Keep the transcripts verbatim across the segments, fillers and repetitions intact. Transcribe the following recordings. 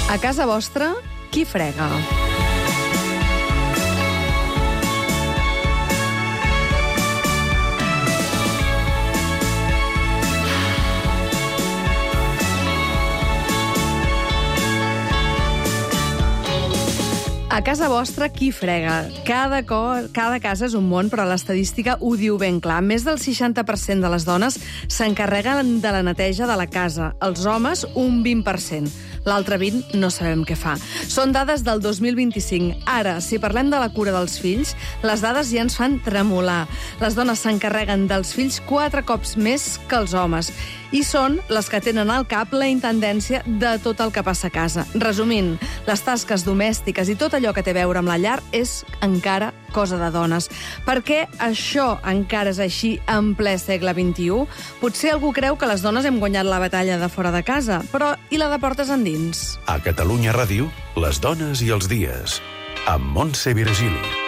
A casa vostra, qui frega? A casa vostra, qui frega? Cada, cor, cada casa és un món, però l'estadística ho diu ben clar. Més del seixanta per cent de les dones s'encarreguen de la neteja de la casa. Els homes, un vint per cent. L'altre vint no sabem què fa. Són dades del dos mil vint-i-cinc. Ara, si parlem de la cura dels fills, les dades ja ens fan tremolar. Les dones s'encarreguen dels fills quatre cops més que els homes. I són les que tenen al cap la intendència de tot el que passa a casa. Resumint, les tasques domèstiques i tot allò que té a veure amb la llar és encara cosa de dones. Per què això encara és així en ple segle vint-i-u? Potser algú creu que les dones hem guanyat la batalla de fora de casa, però i la de portes endins? A Catalunya Ràdio, les dones i els dies, amb Montse Virgili.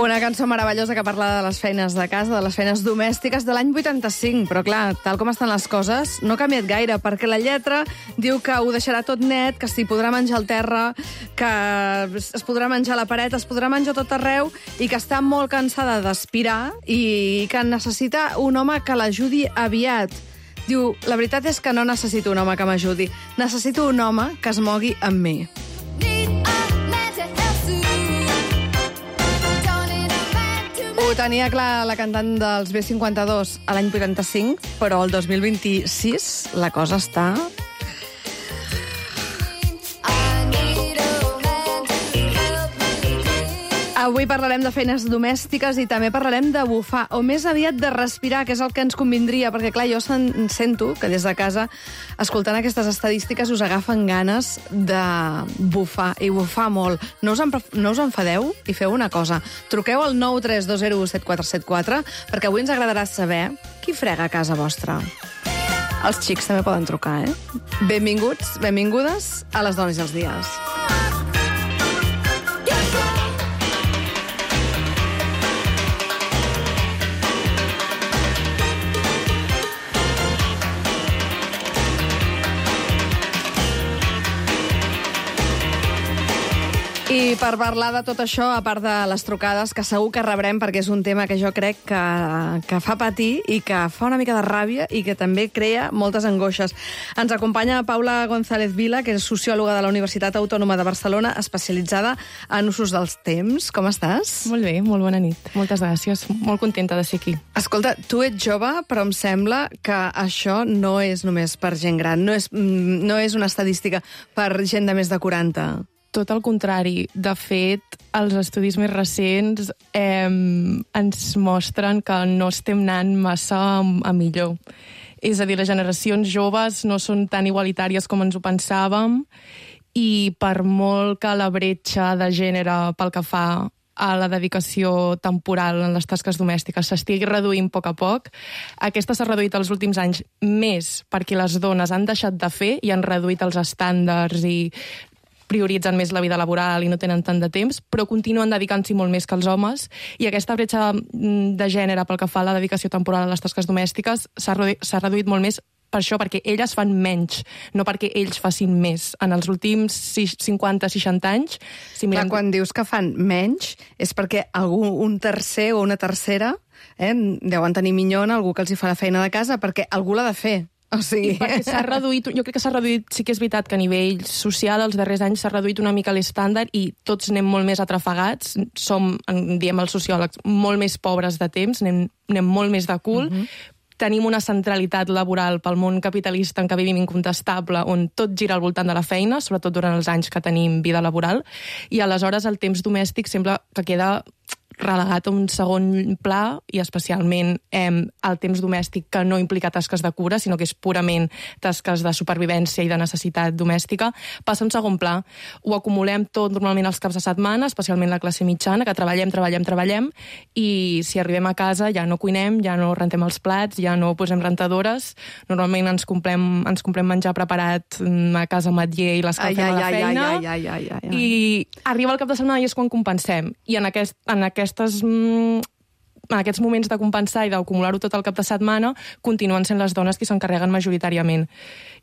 Una cançó meravellosa que parla de les feines de casa, de les feines domèstiques de l'any vuitanta-cinc, però clar, tal com estan les coses, no ha canviat gaire, perquè la lletra diu que ho deixarà tot net, que s'hi podrà menjar al terra, que es podrà menjar a la paret, es podrà menjar tot arreu, i que està molt cansada d'aspirar i que necessita un home que l'ajudi aviat. Diu, la veritat és que no necessito un home que m'ajudi, necessito un home que es mogui amb mi. Ho tenia clar la cantant dels B cinquanta-dos a l'any vuitanta-cinc, però el dos mil vint-i-sis la cosa està... Avui parlarem de feines domèstiques i també parlarem de bufar, o més aviat de respirar, que és el que ens convindria, perquè clar, jo sento que des de casa, escoltant aquestes estadístiques, us agafen ganes de bufar, i bufar molt. No us, no us enfadeu i feu una cosa. Truqueu al nou tres dos zero set quatre set quatre, perquè avui ens agradarà saber qui frega a casa vostra. Els xics també poden trucar, eh? Benvinguts, benvingudes a les dones i els dies. I per parlar de tot això, a part de les trucades, que segur que rebrem, perquè és un tema que jo crec que, que fa patir i que fa una mica de ràbia i que també crea moltes angoixes. Ens acompanya Paula González Vila, que és sociòloga de la Universitat Autònoma de Barcelona, especialitzada en usos dels temps. Com estàs? Molt bé, molt bona nit. Moltes gràcies. Molt contenta de ser aquí. Escolta, tu ets jove, però em sembla que això no és només per gent gran, no és, no és una estadística per gent de més de quaranta. Tot el contrari. De fet, els estudis més recents eh, ens mostren que no estem anant massa a millor. És a dir, les generacions joves no són tan igualitàries com ens ho pensàvem i per molt que la bretxa de gènere pel que fa a la dedicació temporal en les tasques domèstiques s'estigui reduint a poc a poc, aquesta s'ha reduït els últims anys més perquè les dones han deixat de fer i han reduït els estàndards i prioritzen més la vida laboral i no tenen tant de temps, però continuen dedicant-s'hi molt més que els homes, i aquesta bretxa de gènere pel que fa a la dedicació temporal a les tasques domèstiques s'ha reduït, s'ha reduït molt més per això, perquè elles fan menys, no perquè ells facin més. En els últims cinquanta seixanta anys... Si mirem... Clar, quan dius que fan menys, és perquè algú, un tercer o una tercera eh, deuen tenir minyona, algú que els hi fa la feina de casa, perquè algú l'ha de fer. O sigui... I perquè s'ha reduït, jo crec que s'ha reduït, sí que és veritat que a nivell social els darrers anys s'ha reduït una mica l'estàndard i tots anem molt més atrafegats, som, diem els sociòlegs, molt més pobres de temps, anem, anem molt més de cul, uh-huh. Tenim una centralitat laboral pel món capitalista en què vivim incontestable, on tot gira al voltant de la feina, sobretot durant els anys que tenim vida laboral, i aleshores el temps domèstic sembla que queda relegat a un segon pla, i especialment eh, el temps domèstic, que no implica tasques de cura, sinó que és purament tasques de supervivència i de necessitat domèstica, passa a un segon pla. Ho acumulem tot normalment els caps de setmana, especialment la classe mitjana, que treballem, treballem, treballem, i si arribem a casa ja no cuinem, ja no rentem els plats, ja no posem rentadores. Normalment ens comprem, ens comprem menjar preparat a casa Matller i l'escalfem a la feina. Ai, ai, ai, ai, ai. I arriba el cap de setmana i és quan compensem. I en, aquest, en, aquestes, en aquests moments de compensar i d'acumular-ho tot el cap de setmana continuen sent les dones qui s'encarreguen majoritàriament.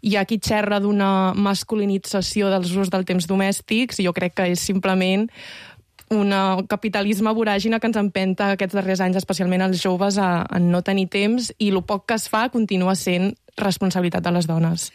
Hi ha qui xerra d'una masculinització dels usos del temps domèstics, i jo crec que és simplement un capitalisme voràgine que ens empenta aquests darrers anys, especialment els joves, a, a no tenir temps, i el poc que es fa continua sent responsabilitat de les dones.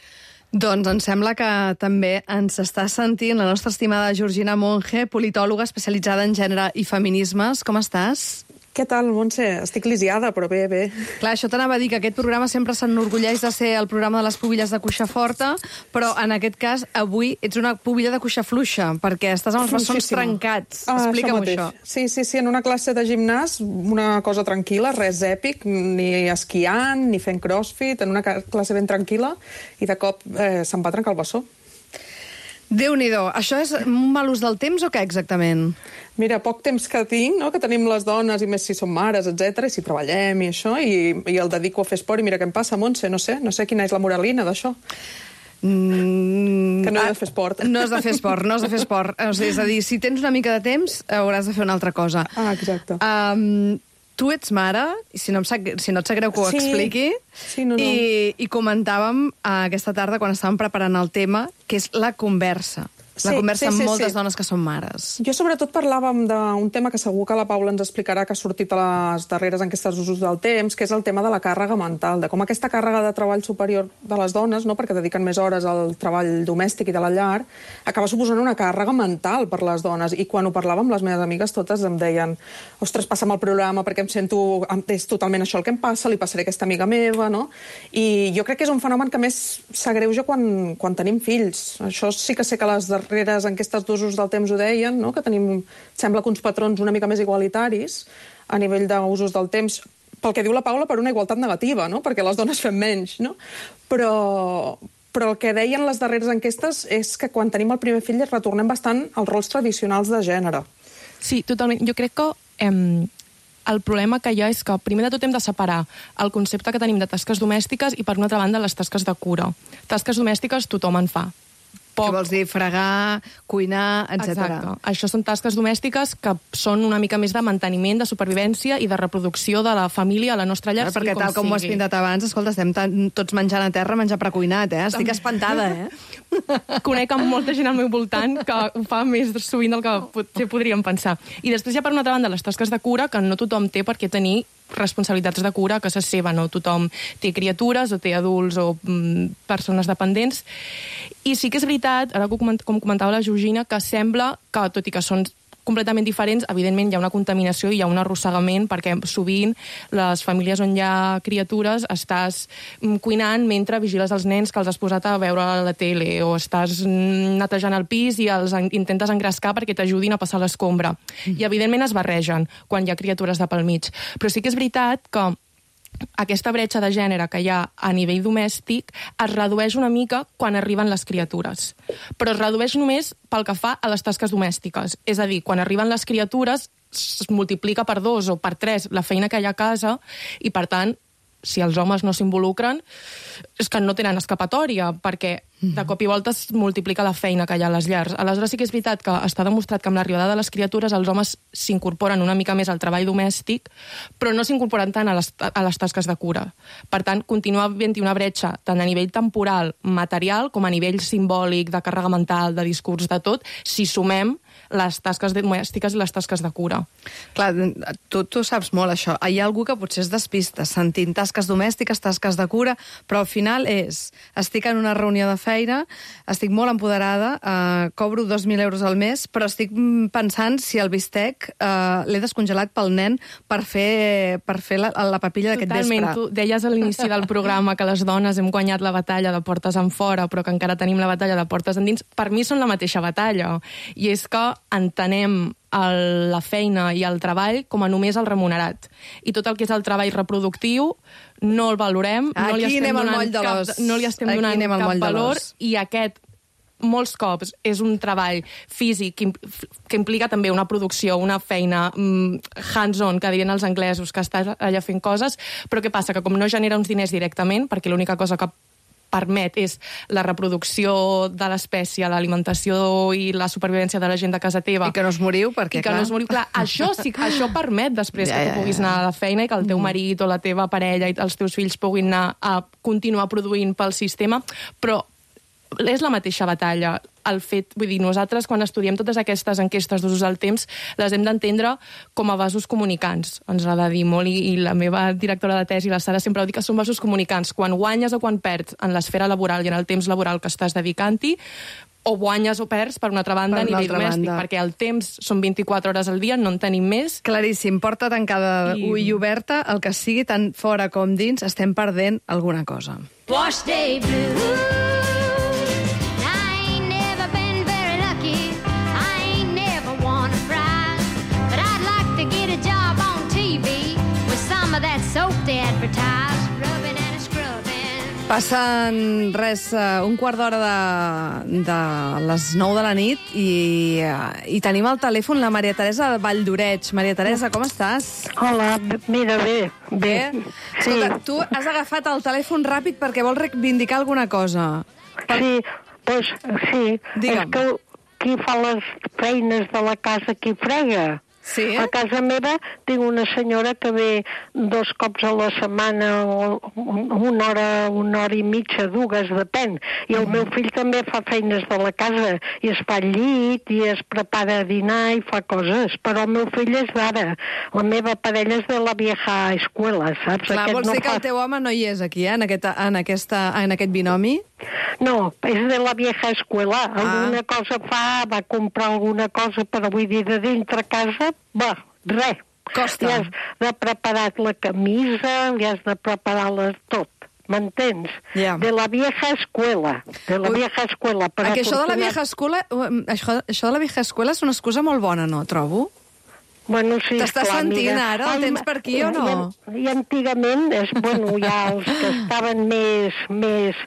Doncs em sembla que també ens està sentint la nostra estimada Georgina Monge, politòloga especialitzada en gènere i feminismes. Com estàs? Què tal, Montse? Estic lisiada, però bé, bé. Clar, això t'anava a dir, que aquest programa sempre s'enorgulleix de ser el programa de les pubilles de cuixa forta, però en aquest cas, avui, ets una pubilla de cuixa fluixa, perquè estàs amb els bessons trencats. Ah, Explica'm això. això. Sí, sí, sí, en una classe de gimnàs, una cosa tranquil·la, res èpic, ni esquiant, ni fent crossfit, en una classe ben tranquil·la, i de cop eh, se'm va trencar el bessó. Déu-n'hi-do. Això és un mal ús del temps o què exactament? Mira, poc temps que tinc, no?, que tenim les dones, i més si som mares, etcètera, i si treballem i això, i, i el dedico a fer esport, i mira què em passa, Montse, no sé, no sé quina és la moralina d'això. Mm, que no he de fer esport. No has de fer esport, no has de fer esport. És a dir, si tens una mica de temps, hauràs de fer una altra cosa. Ah, exacte. Um, tu ets mare, i si no, em sap, si no et sap greu que ho sí. expliqui, sí, no, no. I, i comentàvem uh, aquesta tarda, quan estàvem preparant el tema, que és la conversa. La Sí, conversa sí, amb sí, moltes sí. dones que són mares. Jo sobretot parlàvem d'un tema que segur que la Paula ens explicarà, que ha sortit a les darreres enquestes d'usos del temps, que és el tema de la càrrega mental, de com aquesta càrrega de treball superior de les dones, no?, perquè dediquen més hores al treball domèstic i de la llar, acaba suposant una càrrega mental per les dones. I quan ho parlàvem, les meves amigues totes em deien: ostres, passa'm el programa perquè em sento... és totalment això el que em passa, li passaré a aquesta amiga meva, no? I jo crec que és un fenomen que més s'agreuja quan, quan tenim fills. Això sí que sé que les darreres enquestes d'usos del temps ho deien, no?, que tenim, sembla que uns patrons una mica més igualitaris a nivell d'usos del temps, pel que diu la Paula, per una igualtat negativa, no?, perquè les dones fem menys, no? Però, però el que deien les darreres enquestes és que quan tenim el primer fill retornem bastant als rols tradicionals de gènere. Sí, totalment. Jo crec que eh, el problema que hi ha és que primer de tot hem de separar el concepte que tenim de tasques domèstiques i, per una altra banda, les tasques de cura. Tasques domèstiques tothom en fa. Poc. Què vols dir? Fregar, cuinar, etcètera. Exacte. Això són tasques domèstiques que són una mica més de manteniment, de supervivència i de reproducció de la família a la nostra llar. Perquè tal com ho has pintat abans, escolta, estem tots menjant a terra, menjar precuinat, eh? Estic espantada, eh? Conec amb molta gent al meu voltant que ho fa més sovint del que potser podríem pensar. I després hi ha, per una altra banda, les tasques de cura, que no tothom té per què tenir responsabilitats de cura a casa seva, no? Tothom té criatures o té adults o mm, persones dependents. I sí que és veritat, ara com comentava la Georgina, que sembla que, tot i que són completament diferents, evidentment hi ha una contaminació i hi ha un arrossegament, perquè sovint les famílies on hi ha criatures estàs cuinant mentre vigiles els nens que els has posat a veure la tele, o estàs netejant el pis i els intentes engrescar perquè t'ajudin a passar l'escombra. Mm. I evidentment es barregen quan hi ha criatures de pel mig. Però sí que és veritat que aquesta bretxa de gènere que hi ha a nivell domèstic es redueix una mica quan arriben les criatures. Però es redueix només pel que fa a les tasques domèstiques. És a dir, quan arriben les criatures es multiplica per dos o per tres la feina que hi ha a casa i, per tant, si els homes no s'involucren, és que no tenen escapatòria, perquè de cop i volta es multiplica la feina que hi ha a les llars. Aleshores sí que és veritat que està demostrat que amb l'arribada de les criatures els homes s'incorporen una mica més al treball domèstic, però no s'incorporen tant a les, a les tasques de cura. Per tant, continua havent-hi una bretxa tant a nivell temporal, material, com a nivell simbòlic, de càrrega mental, de discurs, de tot, si sumem les tasques domèstiques i les tasques de cura. Clar, tu, tu saps molt això. Hi ha algú que potser es despista sentint tasques domèstiques, tasques de cura, però al final és, estic en una reunió de feina, estic molt empoderada, eh, cobro dos mil euros al mes, però estic pensant si el bistec eh, l'he descongelat pel nen per fer, per fer la, la papilla d'aquest vespre. Totalment. Tu deies a l'inici del programa que les dones hem guanyat la batalla de portes en fora, però que encara tenim la batalla de portes endins. Per mi són la mateixa batalla. I és que entenem el, la feina i el treball com a només el remunerat. I tot el que és el treball reproductiu no el valorem, no li estem donant cap, no li estem donant cap valor, i aquest molts cops és un treball físic que, que implica també una producció, una feina mm, hands-on, que dirien els anglesos, que estàs allà fent coses, però què passa? Que com no genera uns diners directament, perquè l'única cosa que permet és la reproducció de l'espècie, l'alimentació i la supervivència de la gent de casa teva. I que no us moriu, perquè, I que clar... no us moriu, clar. Això sí, això permet després ja, que tu puguis anar a la feina i que el teu marit o la teva parella i els teus fills puguin anar a continuar produint pel sistema, però és la mateixa batalla. El fet, vull dir, nosaltres quan estudiem totes aquestes enquestes d'usos del temps les hem d'entendre com a vasos comunicants. Ens l'ha de dir molt, i, i la meva directora de tesi, la Sara, sempre ho diu que són vasos comunicants. Quan guanyes o quan perds en l'esfera laboral i en el temps laboral que estàs dedicant-hi, o guanyes o perds, per una altra banda, a nivell domèstic, banda. Perquè el temps són vint-i-quatre hores al dia, no en tenim més. Claríssim, porta tancada I... ull oberta, el que sigui, tant fora com dins, estem perdent alguna cosa. Wash day blue. Passen res, un quart d'hora de, de les nou de la nit i, i tenim al telèfon la Maria Teresa Valldoreig. Maria Teresa, com estàs? Hola, mira, bé. Bé? Escolta, sí. Tu has agafat el telèfon ràpid perquè vols reivindicar alguna cosa. Per... Sí, doncs sí. Digue'm. És que qui fa les feines de la casa, qui frega? Sí? A casa meva tinc una senyora que ve dos cops a la setmana, o una hora, una hora i mitja, dues, depèn. I el mm. meu fill també fa feines de la casa, i es fa al llit, i es prepara a dinar, i fa coses. Però el meu fill és d'ara. La meva parella és de la vieja escuela, saps? Clar, aquest vols no dir que fa... el teu home no hi és aquí, eh? en, aquesta, en, aquesta, en aquest binomi? No, és de la vieja escuela. Alguna ah. cosa fa, va comprar alguna cosa, però vull dir, de dintre casa, va, res. Costa. Li has de preparar la camisa, li has de preparar les, tot. M'entens? Yeah. De la vieja escuela. De la Ui. vieja escuela. Per Perquè això de la vieja escuela, això, això de la vieja escuela és una excusa molt bona, no, trobo? Bueno, sí, t'estàs sentint mira. ara? El tens per aquí o no? I, i antigament, és, bueno, ja els que estaven més, més,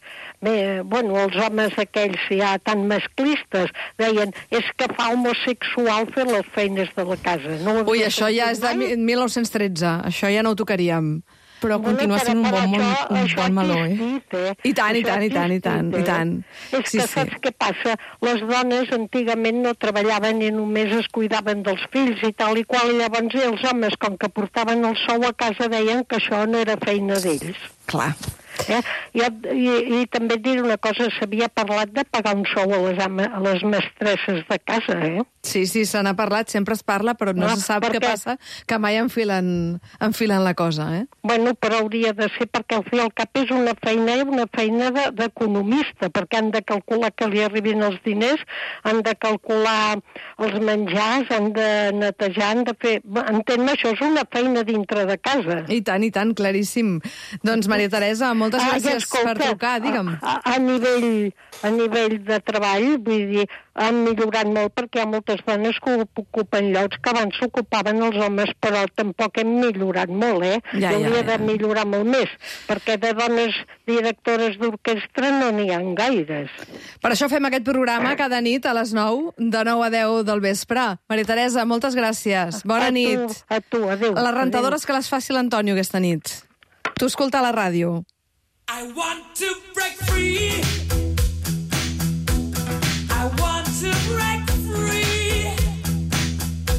més, bueno, els homes aquells ja tan masclistes, deien, és que fa homosexual fer les feines de la casa. No Ui, això ja és de mil nou-cents tretze, això ja no ho tocaríem. Però continua sent un bon, això, un bon meló, eh? eh? I tant, i tant, i tant, i tant, i tant. És que saps què passa? Les dones antigament no treballaven i només es cuidaven dels fills i tal i qual, i llavors els homes, com que portaven el sou a casa, deien que això no era feina d'ells. Clar. Eh? I, i, I també dir una cosa, s'havia parlat de pagar un sou a les, ama, a les mestresses de casa, eh? Sí, sí, se n'ha parlat, sempre es parla, però no, no se sap perquè... què passa, que mai enfilen, enfilen la cosa, eh? Bueno, però hauria de ser, perquè al fi al cap és una feina, una feina d'economista, de, perquè han de calcular que li arribin els diners, han de calcular els menjars, han de netejar, han de fer... Entén-me, això és una feina dintre de casa. I tant, i tant, claríssim. Doncs, Maria Teresa, moltes gràcies ah, escolta, per trucar, digue'm. A, a, nivell, a nivell de treball, vull dir, han millorat molt perquè hi ha moltes dones que ocupen llocs que abans s'ocupaven els homes, però tampoc hem millorat molt, eh? Ja, ja, hauria ja. de millorar molt més, perquè de dones directores d'orquestra no n'hi ha gaires. Per això fem aquest programa cada nit a les nou, de nou a deu del vespre. Maria Teresa, moltes gràcies. Bona a nit. Tu, a tu, adéu. Les rentadores adéu. Que les faci l'Antonio aquesta nit. Tu escolta la ràdio. I want to break free. I want to break free.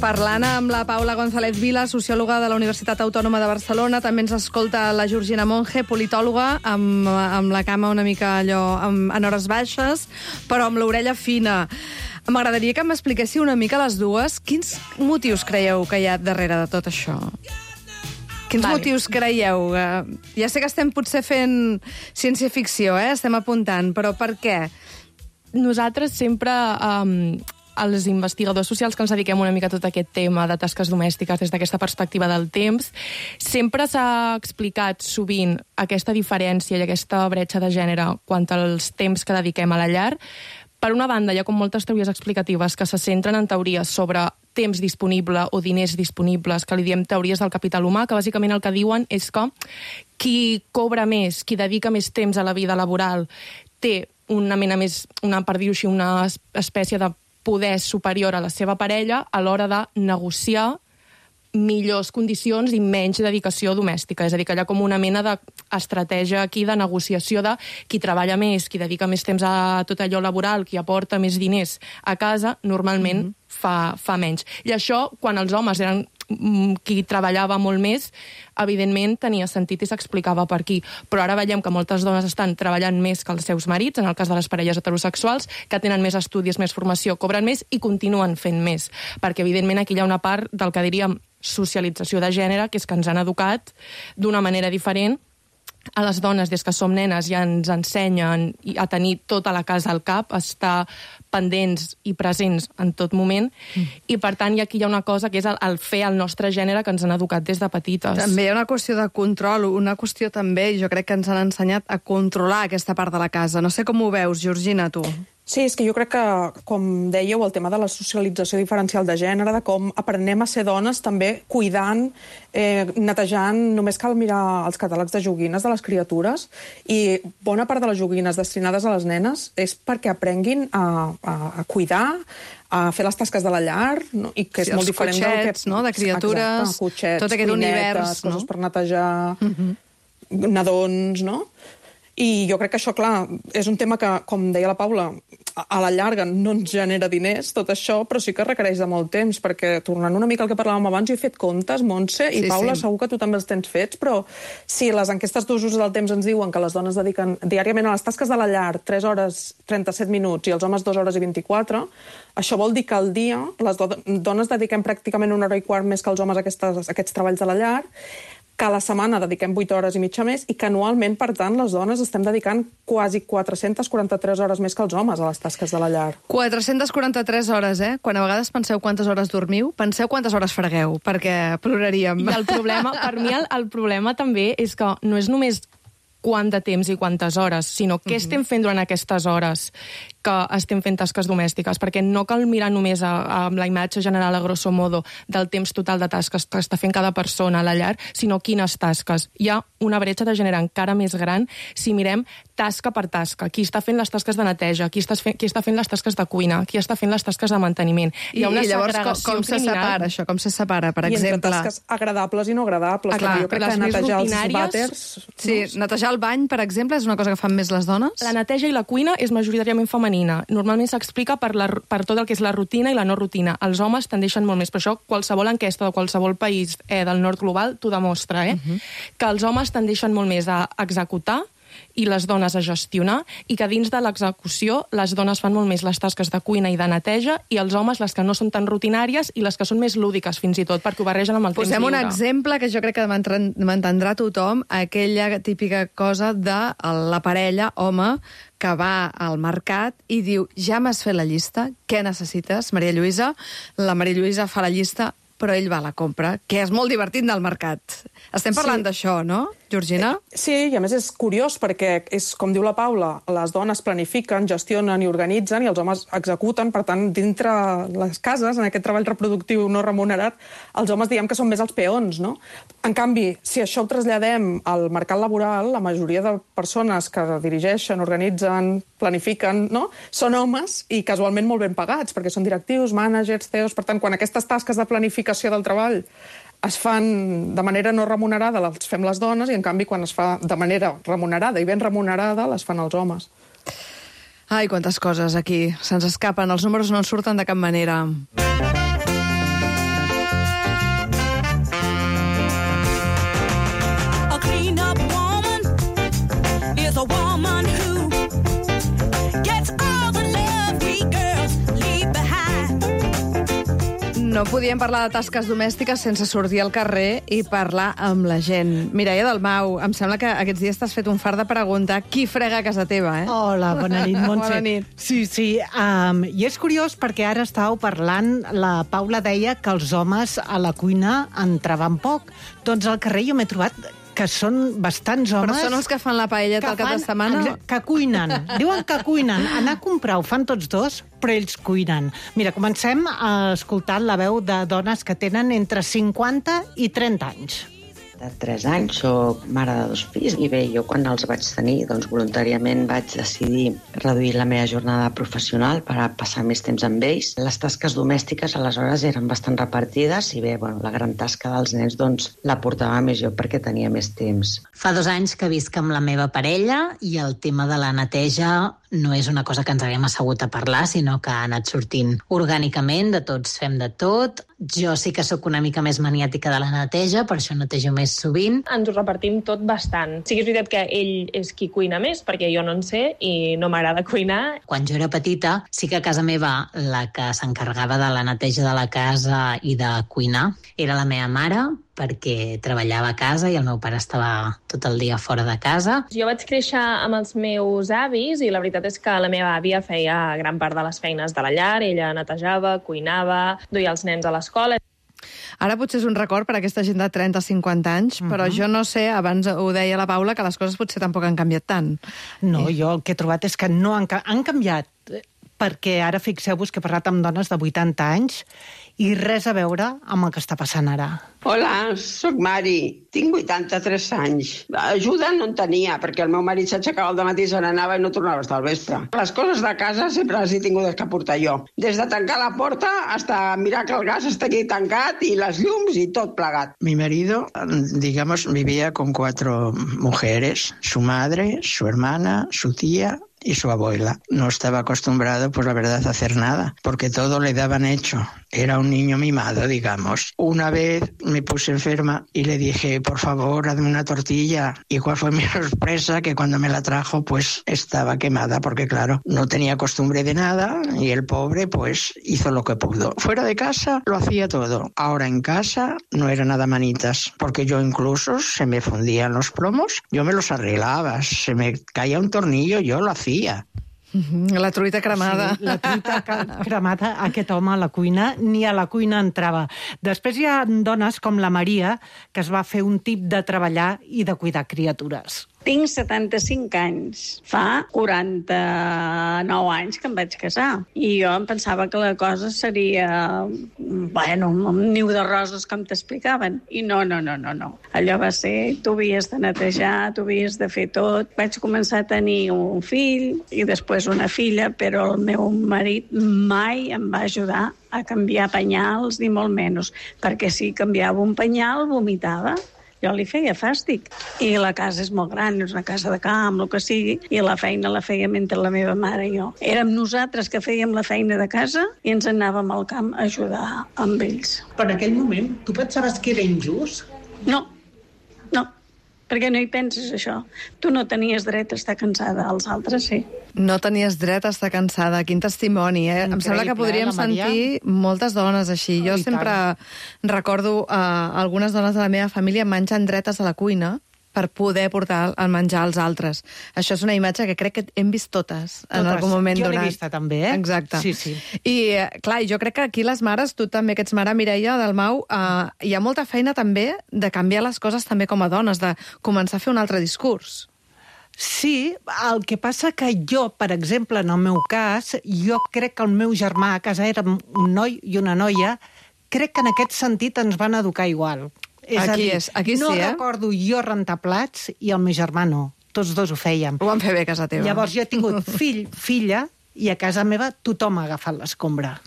Parlant amb la Paula González Vila, sociòloga de la Universitat Autònoma de Barcelona, també ens escolta la Georgina Monge, politòloga, amb, amb la cama una mica allò amb, en hores baixes, però amb l'orella fina. M'agradaria que m'expliquéssiu una mica les dues. Quins motius creieu que hi ha darrere de tot això? Quins vale. motius creieu? Ja sé que estem potser fent ciència-ficció, eh? Estem apuntant, però per què? Nosaltres sempre, um, els investigadors socials que ens dediquem una mica a tot aquest tema de tasques domèstiques des d'aquesta perspectiva del temps, sempre s'ha explicat sovint aquesta diferència i aquesta bretxa de gènere quant als temps que dediquem a la llar. Per una banda, hi ha com moltes teories explicatives que se centren en teories sobre temps disponible o diners disponibles, que li diem teories del capital humà, que bàsicament el que diuen és que qui cobra més, qui dedica més temps a la vida laboral, té una mena més, una, per dir-ho així, una espècie de poder superior a la seva parella a l'hora de negociar millors condicions i menys dedicació domèstica. És a dir, que hi ha com una mena d'estratègia aquí de negociació de qui treballa més, qui dedica més temps a tot allò laboral, qui aporta més diners a casa, normalment mm-hmm. fa, fa menys. I això, quan els homes eren qui treballava molt més, evidentment tenia sentit i s'explicava per aquí. Però ara veiem que moltes dones estan treballant més que els seus marits, en el cas de les parelles heterosexuals, que tenen més estudis, més formació, cobren més i continuen fent més. Perquè, evidentment, aquí hi ha una part del que diríem socialització de gènere, que és que ens han educat d'una manera diferent. A les dones, des que som nenes, ja ens ensenyen a tenir tota la casa al cap, a estar pendents i presents en tot moment, mm. i per tant aquí hi ha una cosa que és el, el fer el nostre gènere que ens han educat des de petites. També hi ha una qüestió de control, una qüestió també, jo crec que ens han ensenyat a controlar aquesta part de la casa. No sé com ho veus, Georgina, tu. Sí, és que jo crec que, com dèieu, el tema de la socialització diferencial de gènere, de com aprenem a ser dones també cuidant, eh, netejant, només cal mirar els catàlegs de joguines de les criatures, i bona part de les joguines destinades a les nenes és perquè aprenguin a, a, a cuidar, a fer les tasques de la llar, no? I que és sí, molt diferent cotxets, del que... no? De criatures, exacte, cotxets, tot aquest cuinetes, univers, coses no? per netejar, Mm-hmm. nadons, no? I jo crec que això, clar, és un tema que, com deia la Paula, a la llarga no ens genera diners, tot això, però sí que requereix de molt temps, perquè, tornant una mica al que parlàvem abans, jo he fet comptes, Montse, i sí, Paula, sí. segur que tu també els tens fets, però si les enquestes d'usos del temps ens diuen que les dones dediquen diàriament a les tasques de la llar tres hores trenta-set minuts i els homes dues hores i vint-i-quatre, això vol dir que al dia les do dones dediquem pràcticament una hora i quart més que els homes a aquestes, a aquests treballs de la llar, que a la setmana dediquem vuit hores i mitja més i que anualment, per tant, les dones estem dedicant quasi quatre-centes quaranta-tres hores més que els homes a les tasques de la llar. quatre-centes quaranta-tres hores, eh? Quan a vegades penseu quantes hores dormiu, penseu quantes hores fregueu, perquè ploraríem. I el problema, per mi, el, el problema també és que no és només quant de temps i quantes hores, sinó què mm-hmm. estem fent durant aquestes hores que estem fent tasques domèstiques, perquè no cal mirar només a, a la imatge general a grosso modo del temps total de tasques que està fent cada persona a la llar, sinó quines tasques. Hi ha una bretxa de gènere encara més gran si mirem tasca per tasca. Qui està fent les tasques de neteja, qui està fent, qui està fent les tasques de cuina, qui està fent les tasques de manteniment. I, Hi ha una i llavors com, com se separa això? Com se separa, per I exemple? I entre tasques agradables i no agradables. Ah, clar, jo crec les que més netejar els rutinàries... vàters... Sí, no? Netejar el bany, per exemple, és una cosa que fan més les dones? La neteja i la cuina és majoritàriament femenina. Normalment s'explica per, la, per tot el que és la rutina i la no rutina. Els homes tendeixen molt més. Per això qualsevol enquesta de qualsevol país eh, del nord global t'ho demostra, eh? Uh-huh. Que els homes tendeixen molt més a executar i les dones a gestionar, i que dins de l'execució les dones fan molt més les tasques de cuina i de neteja, i els homes les que no són tan rutinàries i les que són més lúdiques, fins i tot, perquè ho barregen amb el Posem temps lliure. Posem un exemple que jo crec que m'entendrà tothom, aquella típica cosa de la parella, home, que va al mercat i diu, ja m'has fet la llista, què necessites, Maria Lluïsa? La Maria Lluïsa fa la llista, però ell va a la compra, que és molt divertit del mercat. Estem parlant sí. d'això, no, Georgina? Sí, i a més és curiós perquè, és com diu la Paula, les dones planifiquen, gestionen i organitzen i els homes executen, per tant, dintre les cases, en aquest treball reproductiu no remunerat, els homes diem que són més els peons, no? En canvi, si això ho traslladem al mercat laboral, la majoria de persones que dirigeixen, organitzen, planifiquen, no? Són homes i casualment molt ben pagats, perquè són directius, mànagers, C E Os, per tant, quan aquestes tasques de planificació del treball es fan de manera no remunerada, les fem les dones, i en canvi quan es fa de manera remunerada i ben remunerada, les fan els homes. Ai, quantes coses aquí se'ns escapen, els números no en surten de cap manera. A clean-up woman is a woman who gets all the love we girls leave behind. No podíem parlar de tasques domèstiques sense sortir al carrer i parlar amb la gent. Mireia Dalmau, em sembla que aquests dies t'has fet un fart de preguntar qui frega a casa teva, eh? Hola, bona nit, Montse. Bona nit. Sí, sí, um, i és curiós perquè ara estàveu parlant, la Paula deia que els homes a la cuina entraven poc. Doncs al carrer jo m'he trobat que són bastants homes... Però són els que fan la paelleta al cap de setmana? Que cuinen. Diuen que cuinen. Anar a comprar ho fan tots dos, però ells cuinen. Mira, comencem escoltant la veu de dones que tenen entre cinquanta i trenta anys. De tres anys, soc mare de dos fills i bé, jo quan els vaig tenir, doncs voluntàriament vaig decidir reduir la meva jornada professional per a passar més temps amb ells. Les tasques domèstiques aleshores eren bastant repartides i bé, bueno, la gran tasca dels nens doncs la portava més jo perquè tenia més temps. Fa dos anys que visc amb la meva parella i el tema de la neteja no és una cosa que ens haguem assegut a parlar, sinó que ha anat sortint orgànicament, de tots fem de tot. Jo sí que sóc una mica més maniàtica de la neteja, per això netejo més sovint. Ens ho repartim tot bastant. Sí que és veritat que ell és qui cuina més, perquè jo no en sé i no m'agrada cuinar. Quan jo era petita, sí que a casa meva la que s'encarregava de la neteja de la casa i de cuinar era la meva mare, perquè treballava a casa i el meu pare estava tot el dia fora de casa. Jo vaig créixer amb els meus avis i la veritat és que la meva àvia feia gran part de les feines de la llar. Ella netejava, cuinava, duia els nens a l'escola. Ara potser és un record per a aquesta gent de trenta a cinquanta anys, uh-huh. però jo no sé, abans ho deia la Paula, que les coses potser tampoc han canviat tant. No, jo el que he trobat és que no han, han canviat, perquè ara fixeu-vos que he parlat amb dones de vuitanta anys i res a veure amb el que està passant ara. Hola, sóc Mari. Tinc vuitanta-tres anys. Ajuda no en tenia, perquè el meu marit s'aixecava al dematí, se n'anava i no tornava fins al vespre. Les coses de casa sempre les he tingut que portar jo. Des de tancar la porta hasta mirar que el gas estigui tancat i les llums i tot plegat. Mi marido, digamos, vivía con cuatro mujeres, su madre, su hermana, su tía y su abuela. No estaba acostumbrado, pues la verdad, a hacer nada, porque todo le daban hecho. Era un niño mimado, digamos. Una vez me puse enferma y le dije, por favor, hazme una tortilla. ¿Y cuál fue mi sorpresa? Que cuando me la trajo, pues estaba quemada, porque claro, no tenía costumbre de nada y el pobre, pues hizo lo que pudo. Fuera de casa lo hacía todo. Ahora en casa no era nada manitas, porque yo incluso se me fundían los plomos, yo me los arreglaba, se me caía un tornillo, yo lo hacía. La truita cremada. Sí, la truita cremada, aquest home a la cuina, ni a la cuina entrava. Després hi ha dones com la Maria, que es va fer un tip de treballar i de cuidar criatures. Tinc setanta-cinc anys. Fa quaranta-nou anys que em vaig casar. I jo em pensava que la cosa seria, bueno, un niu de roses, com t'explicaven. I no, no, no, no, no. Allò va ser, tu havies de netejar, tu havies de fer tot. Vaig començar a tenir un fill i després una filla, però el meu marit mai em va ajudar a canviar penyals, ni molt menys. Perquè si canviava un penyal, vomitava. Jo li feia fàstic. I la casa és molt gran, és una casa de camp, el que sigui, i la feina la feia mentre la meva mare i jo. Érem nosaltres que fèiem la feina de casa i ens anàvem al camp a ajudar amb ells. Per aquell moment, tu pensaves que era injust? No, no, perquè no hi penses, això. Tu no tenies dret a estar cansada, els altres sí. No tenies dret a estar cansada. Quin testimoni, eh? Increïble, em sembla que podríem sentir moltes dones així. Jo sempre recordo uh, algunes dones de la meva família menjant dretes a la cuina per poder portar el menjar als altres. Això és una imatge que crec que hem vist totes, totes. en algun moment donat. Jo l'he vista també, eh? Exacte. Sí, sí. I, clar, jo crec que aquí les mares, tu també, que ets mare, Mireia, del Mau, uh, hi ha molta feina també de canviar les coses també com a dones, de començar a fer un altre discurs. Sí, el que passa que jo, per exemple, en el meu cas, jo crec que el meu germà a casa era un noi i una noia, crec que en aquest sentit ens van educar igual. És aquí a dir, és, aquí no sí, eh? recordo jo rentar plats i el meu germà no. Tots dos ho fèiem. Ho van fer bé a casa teva. Llavors jo he tingut fill, filla, i a casa meva tothom ha agafat l'escombra.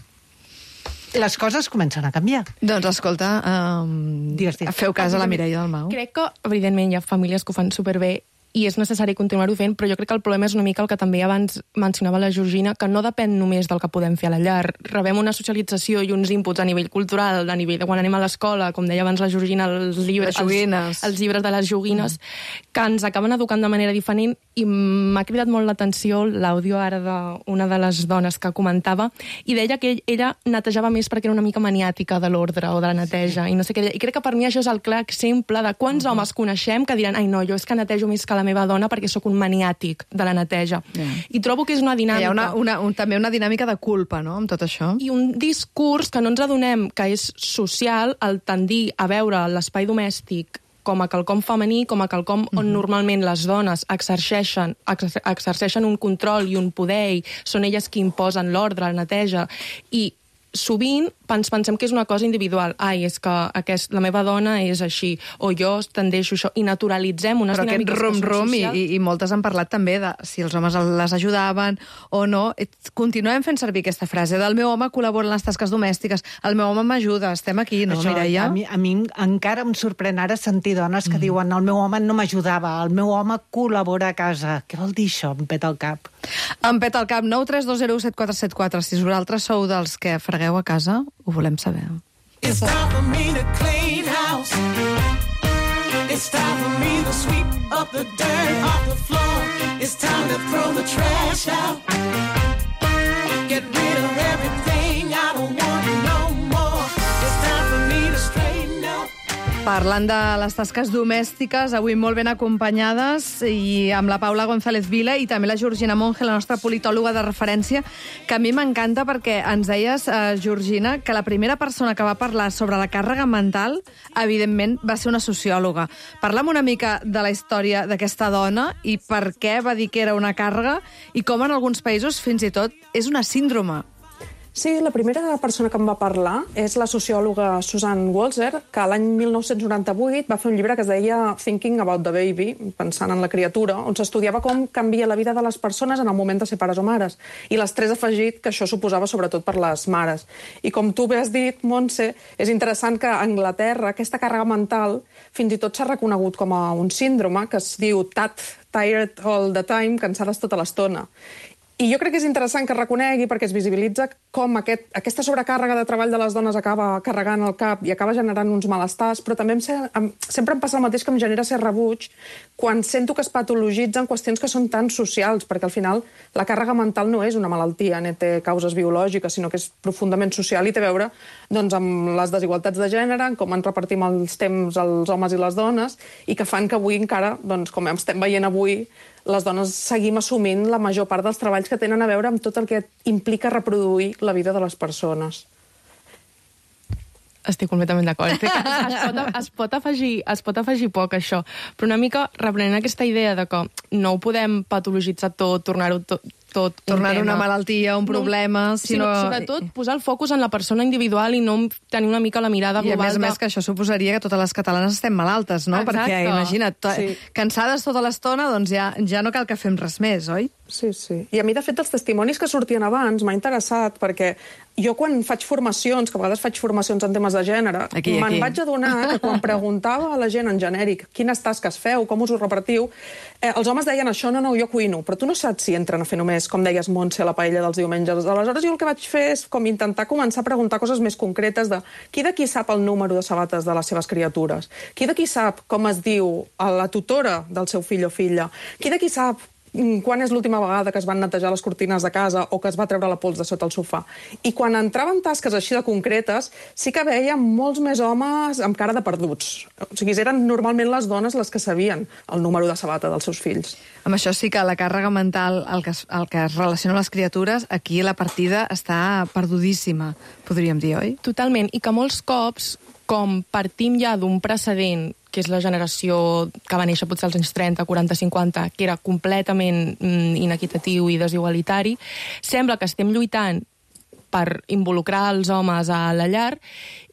Les coses comencen a canviar. Doncs escolta, um, digues, digues. Feu cas a la Mireia del Mau. Crec que, evidentment, hi ha famílies que ho fan superbé i és necessari continuar-ho fent, però jo crec que el problema és una mica el que també abans mencionava la Georgina, que no depèn només del que podem fer a la llar. Rebem una socialització i uns inputs a nivell cultural, a nivell de quan anem a l'escola, com deia abans la Georgina, els llibres, els, els llibres de les joguines, mm. que ens acaben educant de manera diferent, i m'ha cridat molt l'atenció l'àudio ara d'una de les dones que comentava, i deia que ella netejava més perquè era una mica maniàtica de l'ordre o de la neteja, i no sé què. I crec que per mi això és el clar exemple de quants mm-hmm. homes coneixem que diran, ai no, jo és que netejo més que la meva dona perquè sóc un maniàtic de la neteja. Yeah. I trobo que és una dinàmica... Hi ha una, una, un, també una dinàmica de culpa, no?, amb tot això. I un discurs que no ens adonem que és social, el tendir a veure l'espai domèstic com a quelcom femení, com a quelcom on mm-hmm. normalment les dones exerceixen, exer exerceixen un control i un poder, i són elles qui imposen l'ordre, la neteja, i sovint ens pensem que és una cosa individual. Ai, és que aquest, la meva dona és així, o jo tendeixo això, i naturalitzem unes Però dinàmiques aquest rom-rom, i, i, i moltes han parlat també de si els homes les ajudaven o no. Continuem fent servir aquesta frase del meu home col·labora en les tasques domèstiques, el meu home m'ajuda, estem aquí, no, Això, Mireia? A mi, a mi encara em sorprèn ara sentir dones que mm. diuen el meu home no m'ajudava, el meu home col·labora a casa. Què vol dir això? Em peta el cap. Em peta el cap. Nou tres dos zero set quatre set quatre. Si vosaltres sou dels que fregueu a casa, ho volem saber. It's time for me to clean house. It's time for me to sweep up the dirt off the floor. It's time to throw the trash out. Get rid of everything I don't want no more. It's time for me to straighten up. Parlant de les tasques domèstiques, avui molt ben acompanyades, i amb la Paula González Vila i també la Georgina Monge, la nostra politòloga de referència, que a mi m'encanta perquè ens deies, eh, Georgina, que la primera persona que va parlar sobre la càrrega mental, evidentment, va ser una sociòloga. Parla'm una mica de la història d'aquesta dona i per què va dir que era una càrrega i com en alguns països, fins i tot, és una síndrome. Sí, la primera persona que em va parlar és la sociòloga Susan Walser, que l'any mil nou-cents noranta-vuit va fer un llibre que es deia Thinking About the Baby, pensant en la criatura, on s'estudiava com canvia la vida de les persones en el moment de ser pares o mares. I l'estrès afegit que això suposava sobretot per les mares. I com tu bé has dit, Montse, és interessant que a Anglaterra aquesta càrrega mental fins i tot s'ha reconegut com a un síndrome que es diu T A T, Tired All the Time, cansades tota l'estona. I jo crec que és interessant que es reconegui perquè es visibilitza com aquest, aquesta sobrecàrrega de treball de les dones acaba carregant el cap i acaba generant uns malestars, però també em, em, sempre em passa el mateix que em genera ser rebuig quan sento que es patologitzen qüestions que són tan socials, perquè al final la càrrega mental no és una malaltia, ni té causes biològiques, sinó que és profundament social i té a veure doncs, amb les desigualtats de gènere, en com ens repartim els temps els homes i les dones, i que fan que avui encara, doncs, com estem veient avui, les dones seguim assumint la major part dels treballs que tenen a veure amb tot el que implica reproduir la vida de les persones. Estic completament d'acord. Es, es, pot, es, pot afegir, es pot afegir poc, això. Però una mica reprenent aquesta idea de que no ho podem patologitzar tot, tornar-ho tot, tot tornar un una malaltia, un problema, no, sinó... sinó... Sobretot posar el focus en la persona individual i no tenir una mica la mirada global. I a més a de... més que això suposaria que totes les catalanes estem malaltes, no? Exacte. Perquè, imagina't, sí. cansades tota l'estona, doncs ja, ja no cal que fem res més, oi? Sí, sí. I a mi, de fet, els testimonis que sortien abans m'ha interessat, perquè jo quan faig formacions, que a vegades faig formacions en temes de gènere, me'n vaig adonar que quan preguntava a la gent en genèric quines tasques feu, com us ho repartiu, eh, els homes deien això, no, no, jo cuino, però tu no saps si entren a fer només, com deies, Montse, la paella dels diumenges. Aleshores jo el que vaig fer és com intentar començar a preguntar coses més concretes de qui d'aquí sap el número de sabates de les seves criatures, qui d'aquí sap com es diu la tutora del seu fill o filla, qui d'aquí sap quan és l'última vegada que es van netejar les cortines de casa o que es va treure la pols de sota el sofà. I quan entraven tasques així de concretes, sí que veiem molts més homes amb cara de perduts. O sigui, eren normalment les dones les que sabien el número de sabata dels seus fills. Amb això sí que la càrrega mental, el que es, el que es relaciona amb les criatures, aquí la partida està perdudíssima, podríem dir, oi? Totalment, i que molts cops, com partim ja d'un precedent que és la generació que va néixer potser als anys trenta, quaranta, cinquanta, que era completament mm, inequitatiu i desigualitari, sembla que estem lluitant per involucrar els homes a la llar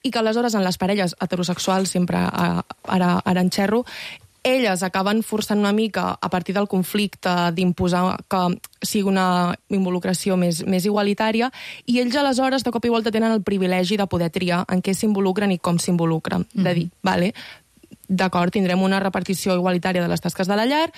i que aleshores en les parelles heterosexuals, sempre ara, ara en xerro, elles acaben forçant una mica a partir del conflicte d'imposar que sigui una involucració més, més igualitària i ells aleshores de cop i volta tenen el privilegi de poder triar en què s'involucren i com s'involucren. Mm-hmm. De dir, vale, d'acord, tindrem una repartició igualitària de les tasques de la llar,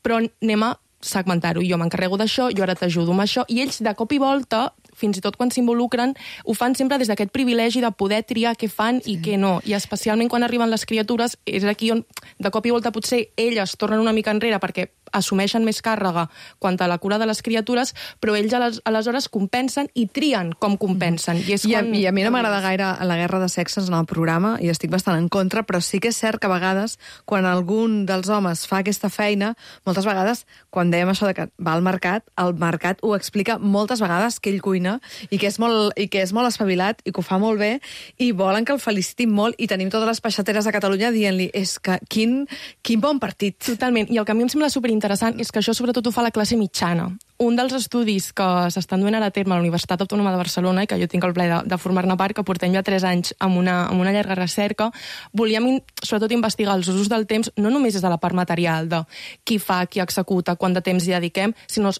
però anem a segmentar-ho. Jo m'encarrego d'això, jo ara t'ajudo amb això, i ells de cop i volta, fins i tot quan s'involucren, ho fan sempre des d'aquest privilegi de poder triar què fan sí. i què no. I especialment quan arriben les criatures, és aquí on de cop i volta potser elles tornen una mica enrere perquè assumeixen més càrrega quant a la cura de les criatures, però ells aleshores compensen i trien com compensen. I, és I, quan... a, I a mi no m'agrada gaire la guerra de sexes en el programa, i estic bastant en contra, però sí que és cert que a vegades, quan algun dels homes fa aquesta feina, moltes vegades, quan dèiem això de que va al mercat, el mercat ho explica moltes vegades que ell cuina Catalunya i que és molt, i que és molt espavilat i que ho fa molt bé i volen que el felicitin molt i tenim totes les peixateres de Catalunya dient-li és que quin, quin bon partit. Totalment. I el que a mi em sembla superinteressant és que això sobretot ho fa la classe mitjana. Un dels estudis que s'estan duent ara a terme a la Universitat Autònoma de Barcelona i que jo tinc el plaer de, de formar-ne part, que portem ja tres anys amb una, amb una llarga recerca, volíem sobretot investigar els usos del temps no només des de la part material de qui fa, qui executa, quant de temps hi dediquem, sinó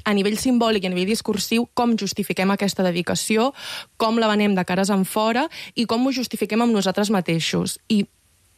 a nivell simbòlic i a nivell discursiu, com justifiquem aquesta dedicació, com la venem de cares en fora i com ho justifiquem amb nosaltres mateixos. I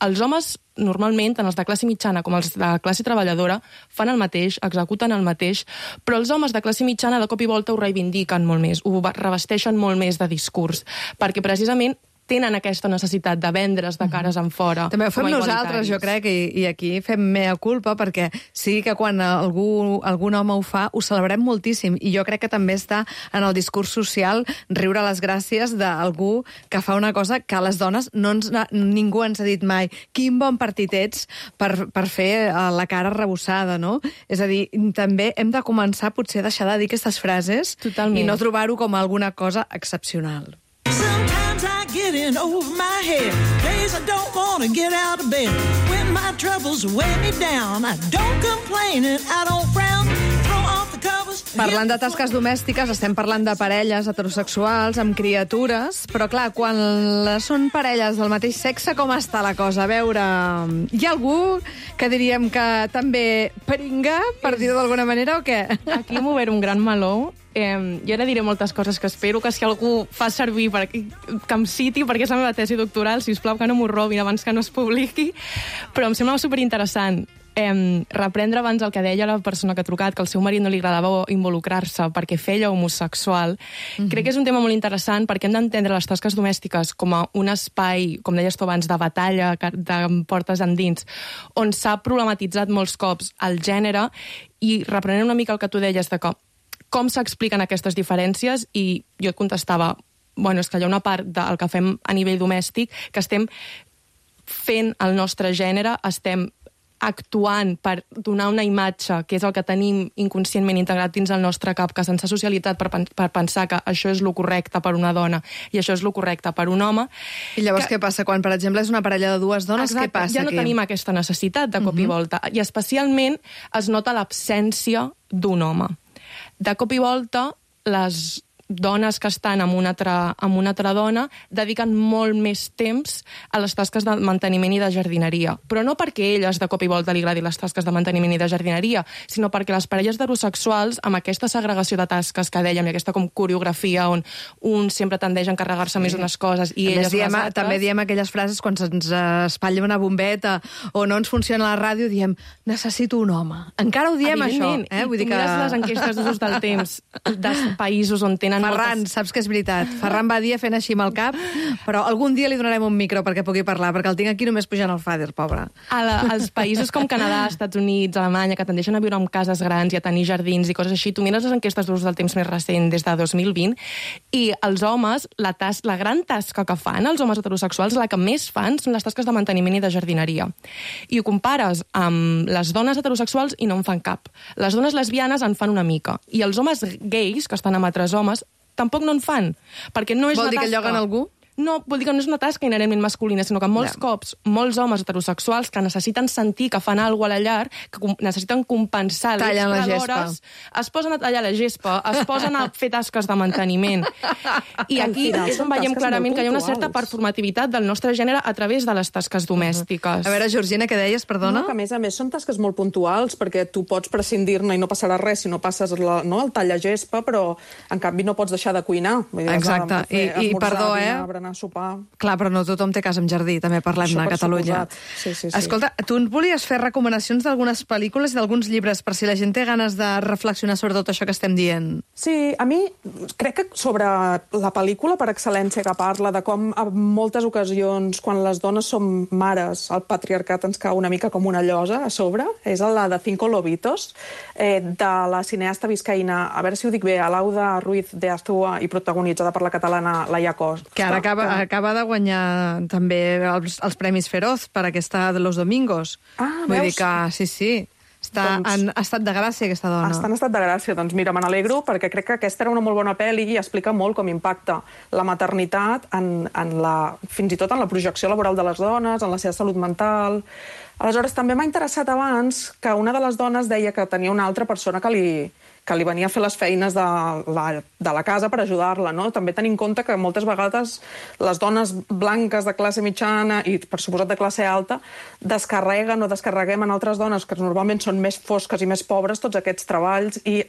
els homes, normalment, tant els de classe mitjana com els de classe treballadora, fan el mateix, executen el mateix, però els homes de classe mitjana de cop i volta ho reivindiquen molt més, ho revesteixen molt més de discurs, perquè precisament tenen aquesta necessitat de vendre's de cares en fora. També ho fem nosaltres, jo crec, i, i aquí fem mea culpa, perquè sí que quan algú, algun home ho fa, ho celebrem moltíssim, i jo crec que també està en el discurs social riure les gràcies d'algú que fa una cosa que a les dones no ens, ningú ens ha dit mai. Quin bon partit ets per, per fer la cara arrebossada, no? És a dir, també hem de començar potser a deixar de dir aquestes frases Totalment. I no trobar-ho com alguna cosa excepcional. Sometimes I get in over my head. Days I don't want to get out of bed. When my troubles weigh me down, I don't complain and I don't frown. Throw off the covers. Parlant de tasques domèstiques, estem parlant de parelles heterosexuals amb criatures, però clar, quan són parelles del mateix sexe, com està la cosa? A veure, hi ha algú que diríem que també peringa, per dir-ho d'alguna manera, o què? Aquí hem obert un gran meló. Eh, jo ara diré moltes coses que espero que si algú fa servir per, que em citi, perquè és la meva tesi doctoral, sisplau que no m'ho robin abans que no es publiqui, però em sembla superinteressant eh, reprendre abans el que deia la persona que ha trucat, que al seu marit no li agradava involucrar-se perquè feia homosexual. Mm-hmm. Crec que és un tema molt interessant perquè hem d'entendre les tasques domèstiques com a un espai, com deies tu abans, de batalla, de portes endins, on s'ha problematitzat molts cops el gènere, i reprenent una mica el que tu deies de que com s'expliquen aquestes diferències, i jo et contestava, bueno, és que hi ha una part del que fem a nivell domèstic que estem fent el nostre gènere, estem actuant per donar una imatge, que és el que tenim inconscientment integrat dins el nostre cap, que se'ns ha socialitzat per, per pensar que això és lo correcte per una dona i això és lo correcte per un home. I llavors que... què passa? Quan, per exemple, és una parella de dues dones, Exacte, què passa? Ja no aquí? tenim aquesta necessitat de cop uh-huh. i volta. I especialment es nota l'absència d'un home. De cop i volta, les dones que estan amb una, altra, amb una altra dona dediquen molt més temps a les tasques de manteniment i de jardineria. Però no perquè elles de cop i volta li agradi les tasques de manteniment i de jardineria, sinó perquè les parelles heterosexuals, amb aquesta segregació de tasques que dèiem, i aquesta com coreografia on un sempre tendeix a encarregar-se sí. més unes coses i també elles diem, les altres... També diem aquelles frases quan se'ns espatlla una bombeta o no ens funciona la ràdio, diem necessito un home. Encara ho diem, això. Eh? I Vull tu dir que... mires les enquestes d'usos del temps dels països on tenen Ferran, moltes... saps que és veritat. Ferran Badia fent així amb el cap, però algun dia li donarem un micro perquè pugui parlar, perquè el tinc aquí només pujant al fàder, pobre. A la, als països com Canadà, Estats Units, Alemanya, que tendeixen a viure en cases grans i a tenir jardins i coses així, tu mires les enquestes d'ús del temps més recent des de dos mil vint i els homes, la, tas la gran tasca que fan, els homes heterosexuals, la que més fan són les tasques de manteniment i de jardineria. I ho compares amb les dones heterosexuals i no en fan cap. Les dones lesbianes en fan una mica. I els homes gais, que estan amb altres homes, tampoc no en fan, perquè no és Vol una dir tasca... que lloguen algú? No, vol dir que no és una tasca inherentment masculina, sinó que molts ja. cops, molts homes heterosexuals que necessiten sentir que fan alguna cosa a la llar, que necessiten compensar l'extra d'hores, es posen a tallar la gespa, es posen a fer tasques de manteniment. I aquí és on veiem clarament que hi ha una certa performativitat del nostre gènere a través de les tasques domèstiques. Uh-huh. A veure, Georgina, què deies, perdona? No, que a més a més són tasques molt puntuals, perquè tu pots prescindir-ne i no passarà res si no passes la, no, el tall a gespa, però en canvi no pots deixar de cuinar. Vull dir, exacte, fer, i, i perdó, eh? Dinar, a sopar. Clar, però no tothom té casa amb jardí, també parlem-ne a Catalunya. Sí, sí, sí. Escolta, tu volies fer recomanacions d'algunes pel·lícules i d'alguns llibres per si la gent té ganes de reflexionar sobre tot això que estem dient? Sí, a mi crec que sobre la pel·lícula per excel·lència que parla de com en moltes ocasions quan les dones som mares el patriarcat ens cau una mica com una llosa a sobre, és la de Cinco Lobitos, eh, de la cineasta viscaïna, a veure si ho dic bé, Alauda Ruiz de Azúa i protagonitzada per la catalana Laia Costa. Que ara acaba, que... acaba de guanyar també els, els Premis Feroz per aquesta de Los Domingos. Ah, Vull veus? dir que, sí, sí. Està doncs, en estat de gràcia, aquesta dona. Està en estat de gràcia. Doncs mira, me n'alegro, perquè crec que aquesta era una molt bona pel·li i explica molt com impacta la maternitat en, en la, fins i tot en la projecció laboral de les dones, en la seva salut mental. Aleshores, també m'ha interessat abans que una de les dones deia que tenia una altra persona que li, que li venia a fer les feines de la, de la casa per ajudar-la, no? També tenir en compte que moltes vegades les dones blanques de classe mitjana i, per suposat, de classe alta, descarreguen o descarreguem en altres dones que normalment són més fosques i més pobres tots aquests treballs, i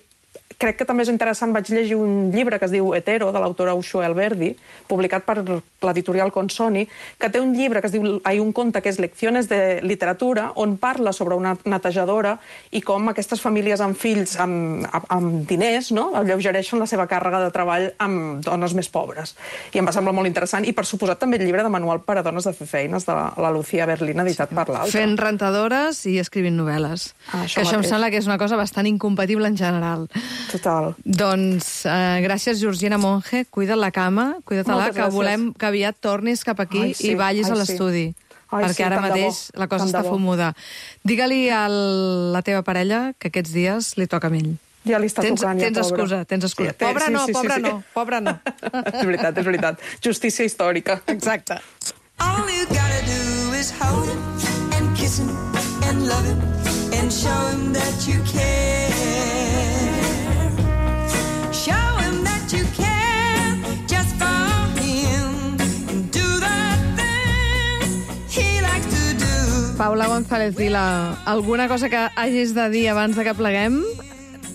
crec que també és interessant, vaig llegir un llibre que es diu Hetero, de l'autora Usho Alberdi, publicat per l'editorial Consoni, que té un llibre que es diu, hay un conte que és Lecciones de literatura, on parla sobre una netejadora i com aquestes famílies amb fills amb, amb, amb diners, no?, alleugereixen la seva càrrega de treball amb dones més pobres. I em va semblar molt interessant. I, per suposat, també el llibre de manual per a dones de fer feines, de la, la Lucía Berlín, editat per l'altra. Fent rentadores i escrivint novel·les. Ah, això que això mateix. Em sembla que és una cosa bastant incompatible en general. Total. Doncs eh, gràcies, Georgina Monge. Cuida't la cama, cuida-te-la, que volem que aviat tornis cap aquí ai, sí, i ballis ai, a l'estudi. Sí. Perquè sí, ara mateix la cosa està fumuda. Digue-li a la teva parella que aquests dies li toca a ell. Ja li està tens, tocant, tens ja, excusa, tens excusa. Sí, pobre sí, no, sí, pobre sí, no, sí. pobre no. És veritat, és veritat. Justícia històrica. Exacte. All you gotta do is hold him and kiss him and love him and show him that you care. Show him that you care just for him and do the things he likes to do. Paula González Vila, alguna cosa que hagis de dir abans de que pleguem?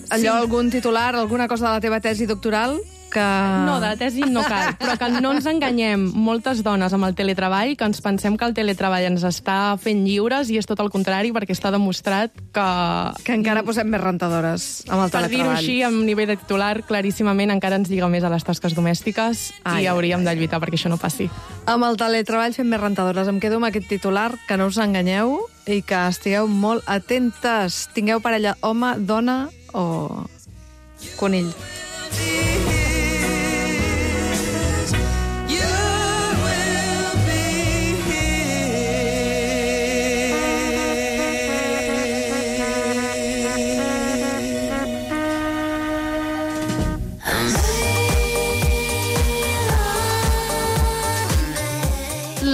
Allò, sí. Algun titular, alguna cosa de la teva tesi doctoral? Que... No, de la tesi no cal, però que no ens enganyem moltes dones amb el teletreball, que ens pensem que el teletreball ens està fent lliures i és tot el contrari, perquè està demostrat que... Que encara posem més rentadores amb el per teletreball. Per dir-ho així, amb nivell de titular, claríssimament encara ens lliga més a les tasques domèstiques ai, i hauríem de lluitar perquè això no passi. Amb el teletreball fem més rentadores. Em quedo amb aquest titular, que no us enganyeu i que estigueu molt atentes. Tingueu parella home, dona o conill.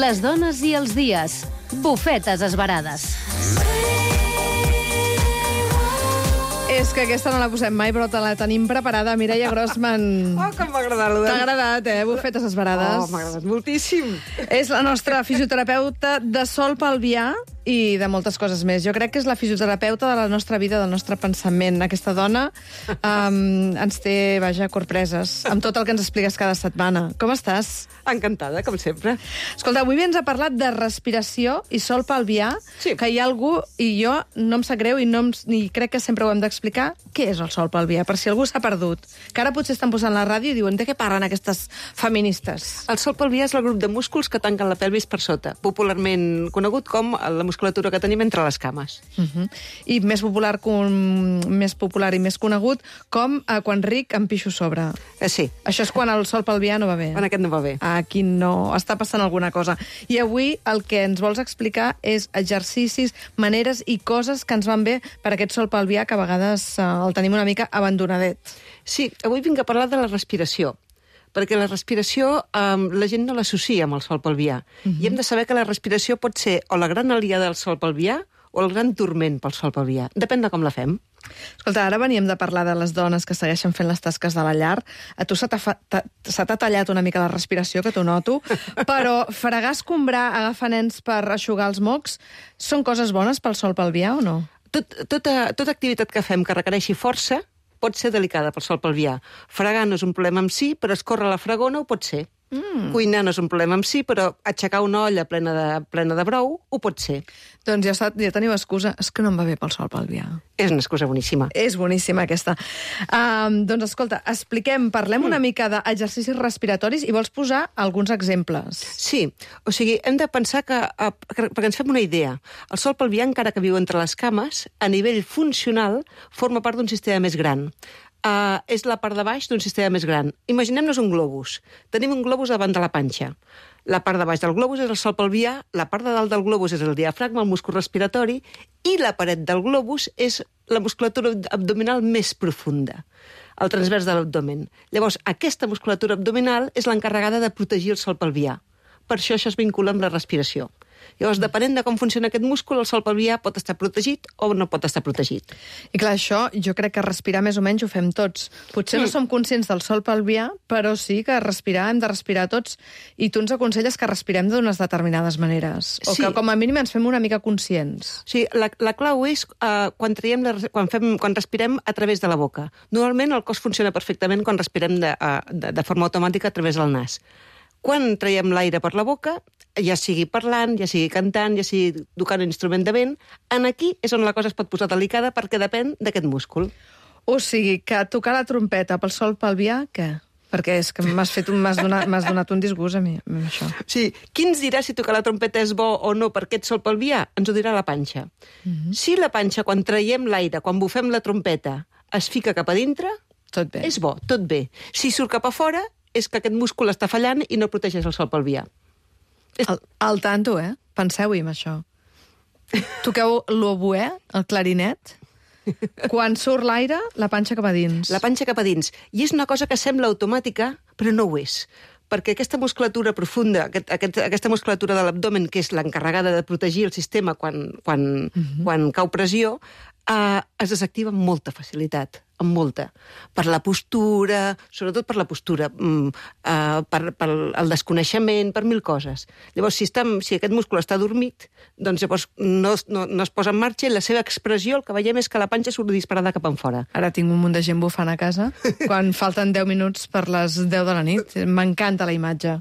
Les dones i els dies. Bufetes esverades. És que aquesta no la posem mai, però te la tenim preparada. Mireia Grossman. Oh, com m'ha agradat. T'ha agradat, eh? Bufetes esverades. Oh, m'ha agradat moltíssim. És la nostra fisioterapeuta de Sol Pelvià i de moltes coses més. Jo crec que és la fisioterapeuta de la nostra vida, del nostre pensament. Aquesta dona um, ens té, vaja, corpreses amb tot el que ens expliques cada setmana. Com estàs? Encantada, com sempre. Escolta, avui ens ha parlat de respiració i sol pelvià, sí. Que hi ha algú, i jo no em sap greu i, no em, i crec que sempre ho hem d'explicar, què és el sol pelvià, per si algú s'ha perdut. Que ara potser estan posant la ràdio i diuen de què parlen aquestes feministes. El sol pelvià és el grup de músculs que tanquen la pelvis per sota, popularment conegut com la musculatura que tenim entre les cames. Uh -huh. I més popular, com, més popular i més conegut com eh, quan ric em pixo sobre. Eh, sí. Això és quan el sol pelvià no va bé. Quan aquest no va bé. Aquí no, està passant alguna cosa. I avui el que ens vols explicar és exercicis, maneres i coses que ens van bé per aquest sol pelvià que a vegades eh, el tenim una mica abandonadet. Sí, avui vinc a parlar de la respiració, perquè la respiració eh, la gent no l'associa amb el sol pelvià. Uh-huh. I hem de saber que la respiració pot ser o la gran aliada del sol pelvià o el gran turment pel sol pelvià. Depèn de com la fem. Escolta, ara veníem de parlar de les dones que segueixen fent les tasques de la llar. A tu se t'ha tallat una mica la respiració, que t'ho noto, però fregar, escombrar, agafar nens per eixugar els mocs, són coses bones pel sol pelvià o no? Tot, tota, tota activitat que fem que requereixi força pot ser delicada pel sol pelvià. Fregar no és un problema en si, però escórrer la fregona ho pot ser. Mm. Cuinar no és un problema en si, però aixecar una olla plena de, plena de brou ho pot ser. Doncs ja, ja teniu excusa. És que no em va bé pel sol pelvià. És una excusa boníssima. És boníssima, aquesta. Um, doncs escolta, expliquem, parlem mm. una mica d'exercicis respiratoris i vols posar alguns exemples. Sí, o sigui, hem de pensar que, que perquè ens fem una idea, el sol pelvià, encara que viu entre les cames, a nivell funcional, forma part d'un sistema més gran. Uh, és la part de baix d'un sistema més gran. Imaginem-nos un globus. Tenim un globus davant de la panxa. La part de baix del globus és el sòl pelvià, la part de dalt del globus és el diafragma, el múscul respiratori, i la paret del globus és la musculatura abdominal més profunda, el transvers de l'abdomen. Llavors, aquesta musculatura abdominal és l'encarregada de protegir el sòl pelvià. Per això això es vincula amb la respiració. Llavors, depenent de com funciona aquest múscul, el sòl pelvià pot estar protegit o no pot estar protegit. I clar, això jo crec que respirar més o menys ho fem tots. Potser no som conscients del sòl pelvià, però sí que respirar, hem de respirar tots, i tu ens aconselles que respirem d'unes determinades maneres, o Sí. que com a mínim ens fem una mica conscients. Sí, la, la clau és uh, quan, traiem la, quan, fem, quan respirem a través de la boca. Normalment el cos funciona perfectament quan respirem de, uh, de, de forma automàtica a través del nas. Quan traiem l'aire per la boca, ja sigui parlant, ja sigui cantant, ja sigui tocant un instrument de vent, en aquí és on la cosa es pot posar delicada perquè depèn d'aquest múscul. O sigui, que tocar la trompeta pel sòl pelvià, què? Perquè és que m'has fet un, m'has donat, m'has donat un disgust a mi, amb això. Sí, qui ens dirà si tocar la trompeta és bo o no per aquest sòl pelvià? Ens ho dirà la panxa. Mhm. Si la panxa, quan traiem l'aire, quan bufem la trompeta, es fica cap a dintre, tot bé. És bo, tot bé. Si surt cap a fora, és que aquest múscul està fallant i no protegeix el sòl pelvià. Al, al tanto, eh? Penseu-hi amb això. Toqueu l'oboè, el clarinet. Quan surt l'aire, la panxa cap a dins. La panxa cap a dins. I és una cosa que sembla automàtica, però no ho és. Perquè aquesta musculatura profunda, aquest, aquest, aquesta musculatura de l'abdomen, que és l'encarregada de protegir el sistema quan, quan, uh-huh. quan cau pressió, eh, es desactiva amb molta facilitat, amb molta. Per la postura, sobretot per la postura, mm, eh, per, per el desconeixement, per mil coses. Llavors, si, està, si aquest múscul està dormit, doncs llavors no, no, no es posa en marxa i la seva expressió, el que veiem és que la panxa surt disparada cap enfora. Ara tinc un munt de gent bufant a casa quan falten deu minuts per les deu de la nit. M'encanta la imatge.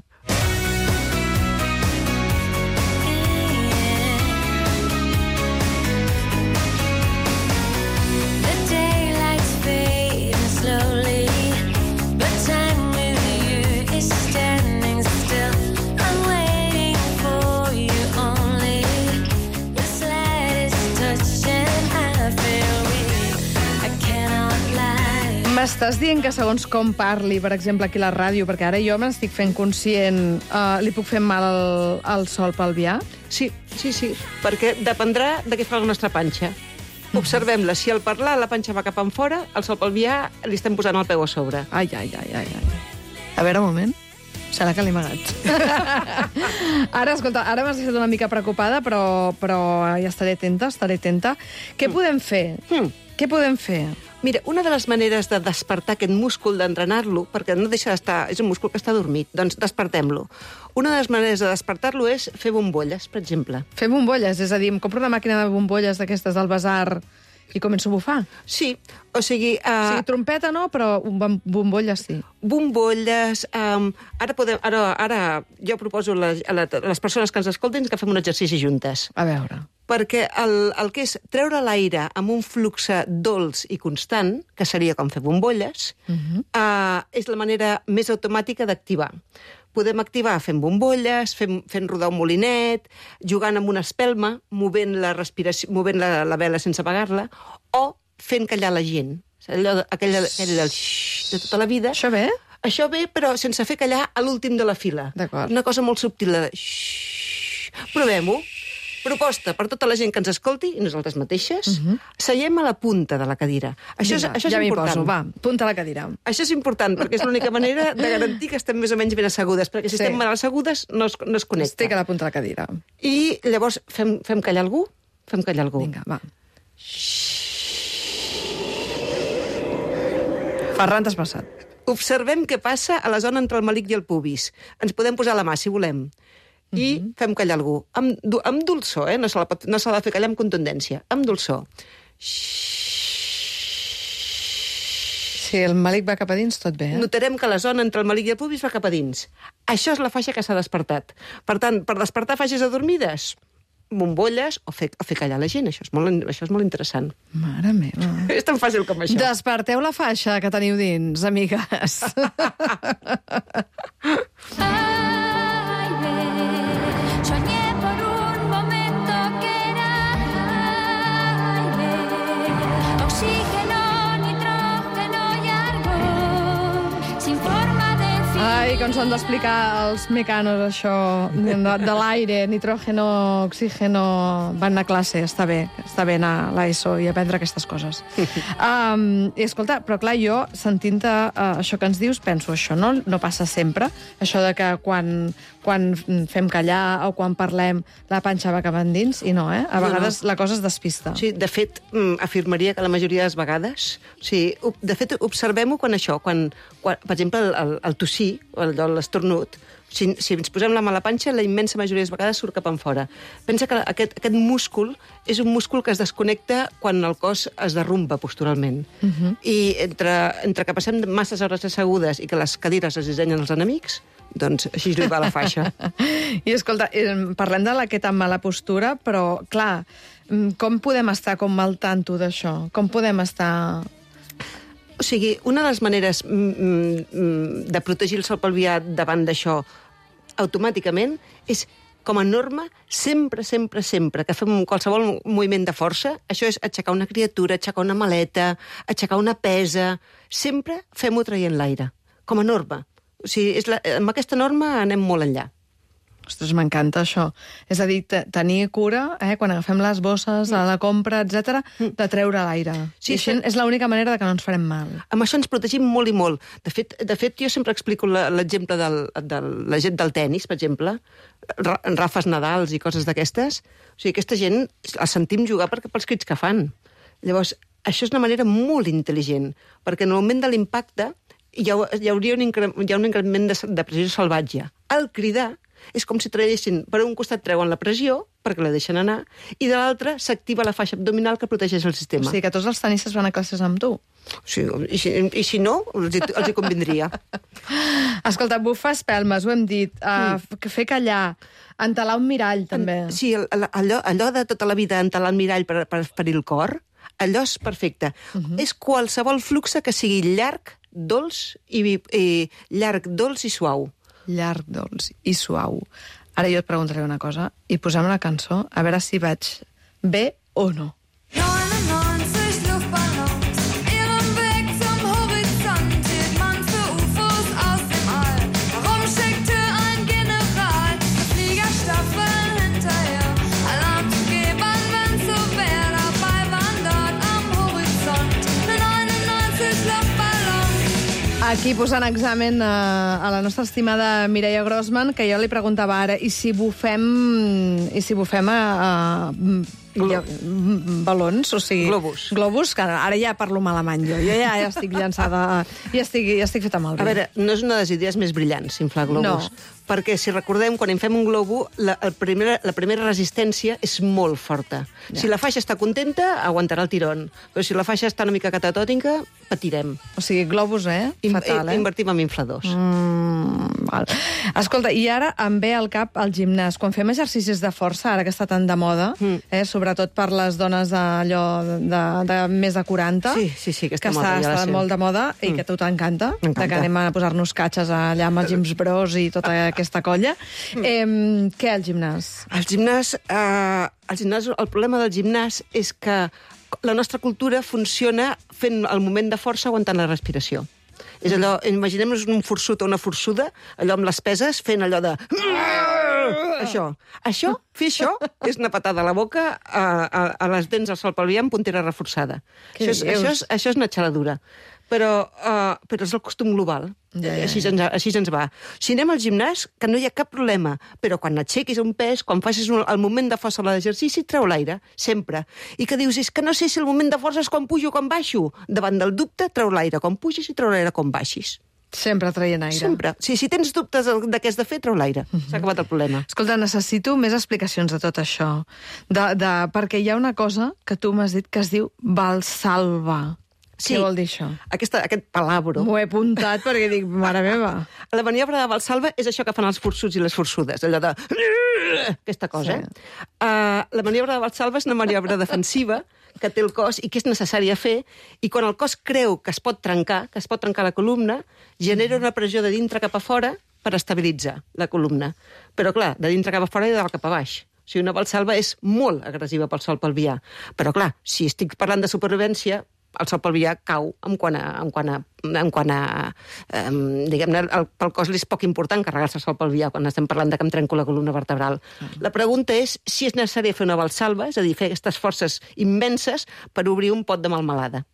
M'estàs dient que segons com parli, per exemple, aquí a la ràdio, perquè ara jo me n'estic fent conscient, uh, li puc fer mal al, al sòl pelvià? Sí, sí, sí, perquè dependrà de què fa la nostra panxa. Observem-la. Si al parlar la panxa va cap enfora, al sòl pelvià li estem posant el peu a sobre. Ai, ai, ai, ai, ai. A veure, un moment. Serà que l'he amagat. Ara, escolta, ara m'has deixat una mica preocupada, però, però ja estaré atenta, estaré atenta. Què mm. podem fer? Mm. Què podem fer? Mira, una de les maneres de despertar aquest múscul, d'entrenar-lo, perquè no deixa d'estar... És un múscul que està dormit, doncs despertem-lo. Una de les maneres de despertar-lo és fer bombolles, per exemple. Fer bombolles? És a dir, em compro una màquina de bombolles d'aquestes del basar i començo a bufar? Sí, o sigui... Uh... O sigui, trompeta no, però bombolles sí. Bombolles... Um, ara, podem, ara, ara jo proposo a les, a les persones que ens escoltin que fem un exercici juntes. A veure... Perquè el, el que és treure l'aire amb un flux dolç i constant, que seria com fer bombolles, uh-huh. uh, és la manera més automàtica d'activar. Podem activar fent bombolles, fent, fent rodar un molinet, jugant amb una espelma, movent la respiració, movent la, la vela sense apagar-la, o fent callar la gent. Allò, aquell, aquell del xxxt de tota la vida. Això ve? Això ve, però sense fer callar a l'últim de la fila. D'acord. Una cosa molt subtil, de xxxt. Provem-ho. Proposta per tota la gent que ens escolti, i nosaltres mateixes, uh-huh. seiem a la punta de la cadira. Això és, Vinga, això és ja important. Poso, va, punta a la cadira. Això és important, perquè és l'única manera de garantir que estem més o menys ben assegudes, perquè si sí. estem mal assegudes no es, no es connecta. Estic a la punta de la cadira. I llavors fem, fem callar algú? Fem callar algú. Vinga, va. Ferran, t'has passat. Observem què passa a la zona entre el melic i el pubis. Ens podem posar la mà, si volem. I uh-huh. fem callar algú. Amb, amb dolçor, eh? No s'ha no de fer callar amb contundència. Amb dolçor. Si el melic va cap a dins, tot bé, eh? Notarem que la zona entre el melic i el pubis va cap a dins. Això és la faixa que s'ha despertat. Per tant, per despertar faixes adormides, bombolles o fer, o fer callar la gent. Això és molt, això és molt interessant. Mare meva. És tan fàcil com això. Desperteu la faixa que teniu dins, amigues. Ai, ahir que ens han d'explicar els mecanos això de, de l'aire, nitrógeno, oxígeno... Van anar a classe, està bé, està bé anar a l'ESO i aprendre aquestes coses. um, I escolta, però clar, jo, sentint uh, això que ens dius, penso, això no, no passa sempre, això de que quan, quan fem callar o quan parlem la panxa va cap endins, i no, eh? A vegades no, no. La cosa es despista. Sí, de fet, afirmaria que la majoria de les vegades... O sigui, de fet, observem-ho quan això, quan, quan per exemple, el, el, el tossir, l'esternut, si, si ens posem la mà a la panxa, la immensa majoria de les vegades surt cap enfora. Pensa que aquest, aquest múscul és un múscul que es desconnecta quan el cos es derrumba posturalment. Uh-huh. I entre, entre que passem masses hores assegudes i que les cadires es dissenyen els enemics, doncs així li va la faixa. I escolta, parlem de aquesta mala postura, però, clar, com podem estar com al tanto d'això? Com podem estar... O sigui, una de les maneres mm, de protegir el sòl pelvià davant d'això automàticament és, com a norma, sempre, sempre, sempre que fem qualsevol moviment de força, això és aixecar una criatura, aixecar una maleta, aixecar una pesa, sempre fem-ho traient l'aire, com a norma. O sigui, és la, amb aquesta norma anem molt enllà. Ostres, m'encanta això. És a dir, tenir cura, eh, quan agafem les bosses a la compra, etcètera, de treure l'aire. Sí, I això és l'única manera de que no ens farem mal. Amb això ens protegim molt i molt. De fet, de fet jo sempre explico l'exemple de la gent del tennis, per exemple, Rafes Nadals i coses d'aquestes. O sigui, aquesta gent la sentim jugar perquè pels crits que fan. Llavors, això és una manera molt intel·ligent, perquè en el moment de l'impacte hi, ha, hi hauria un, incre, hi ha un increment de, de pressió salvatge. Al cridar, és com si traguessin, per un costat treuen la pressió, perquè la deixen anar, i de l'altre s'activa la faixa abdominal que protegeix el sistema. O sigui que tots els tenistes van a classes amb tu. Sí, i si, i si no, els hi, els hi convindria. Escolta, bufar espelmes, ho hem dit, uh, mm. fer callar, entelar un mirall, també. Sí, allò, allò de tota la vida entelar el mirall per, per ferir el cor, allò és perfecte. Uh-huh. És qualsevol flux que sigui llarg, dolç i, i llarg, dolç i suau. Llarg, dolç i suau. Ara jo et preguntaré una cosa i posem la cançó a veure si vaig bé o no. Aquí posant examen a, a la nostra estimada Mireia Grossman, que jo li preguntava ara, i si bufem, i si bufem a, a ja, balons, o sigui... Globus. Globus, que ara ja parlo en alemany jo. Jo ja, ja estic llançada, ja estic, ja estic feta malbé. A veure, no és una de les idees més brillants, inflar globus. No. Perquè, si recordem, quan inflem un globo, la, el primera, la primera resistència és molt forta. Ja. Si la faixa està contenta, aguantarà el tirón. Però si la faixa està una mica catatònica, patirem. O sigui, globus, eh? Fatal, eh? Invertim en infladors. Mm, val. Escolta, i ara em ve al cap el gimnàs. Quan fem exercicis de força, ara que està tan de moda, mm. eh, sobretot per les dones d'allò de, de, de més de quaranta, sí, sí, sí, que està, que moda, està, ja està molt de moda i mm. que a tu t'encanta, de que anem a posar-nos catxes allà amb els Gyms Bros i tota aquesta colla. Mm. Eh, què, el gimnàs? El gimnàs, eh, el gimnàs, el problema del gimnàs és que la nostra cultura funciona fent el moment de força aguantant la respiració. És allò, imaginem-nos un forçut o una forçuda, allò amb les peses, fent allò de... Això. Això, fer això, és una patada a la boca, a, a, a les dents al sol pelvià amb puntera reforçada. Això és, això, és, això és una xaladura. Però, uh, però és el costum global. Ja, ja, així, ens, així ens va. Si anem al gimnàs, que no hi ha cap problema, però quan aixequis un pes, quan facis un, el moment de força a l'exercici, treu l'aire, sempre. I que dius, és que no sé si el moment de força és quan pujo o quan baixo. Davant del dubte, treu l'aire quan pugis i treu l'aire quan baixis. Sempre traient aire. Sempre. Sí, si tens dubtes de què has de fer, treu l'aire. Uh-huh. S'ha acabat el problema. Escolta, necessito més explicacions de tot això. De, de, perquè hi ha una cosa que tu m'has dit que es diu Valsalva. Sí. Què vol dir això? Aquesta, aquest palabro. M'ho he apuntat perquè dic, mare meva. La maniobra de Valsalva és això que fan els forçuts i les forçudes, allò de... aquesta cosa. Sí. Uh, la maniobra de Valsalva és una maniobra defensiva que té el cos i que és necessària fer, i quan el cos creu que es pot trencar, que es pot trencar la columna, genera una pressió de dintre cap a fora per estabilitzar la columna. Però, clar, de dintre cap a fora i de dalt cap a baix. O sigui, una Valsalva és molt agressiva pel sòl pelvià. Però, clar, si estic parlant de supervivència, el sòl pelvià cau en quant a... En quant a, en quant a eh, diguem-ne, el, pel cos li és poc important carregar-se el sòl pelvià quan estem parlant de que em trenco la columna vertebral. Mm. La pregunta és si és necessari fer una valsalva, és a dir, fer aquestes forces immenses per obrir un pot de melmelada.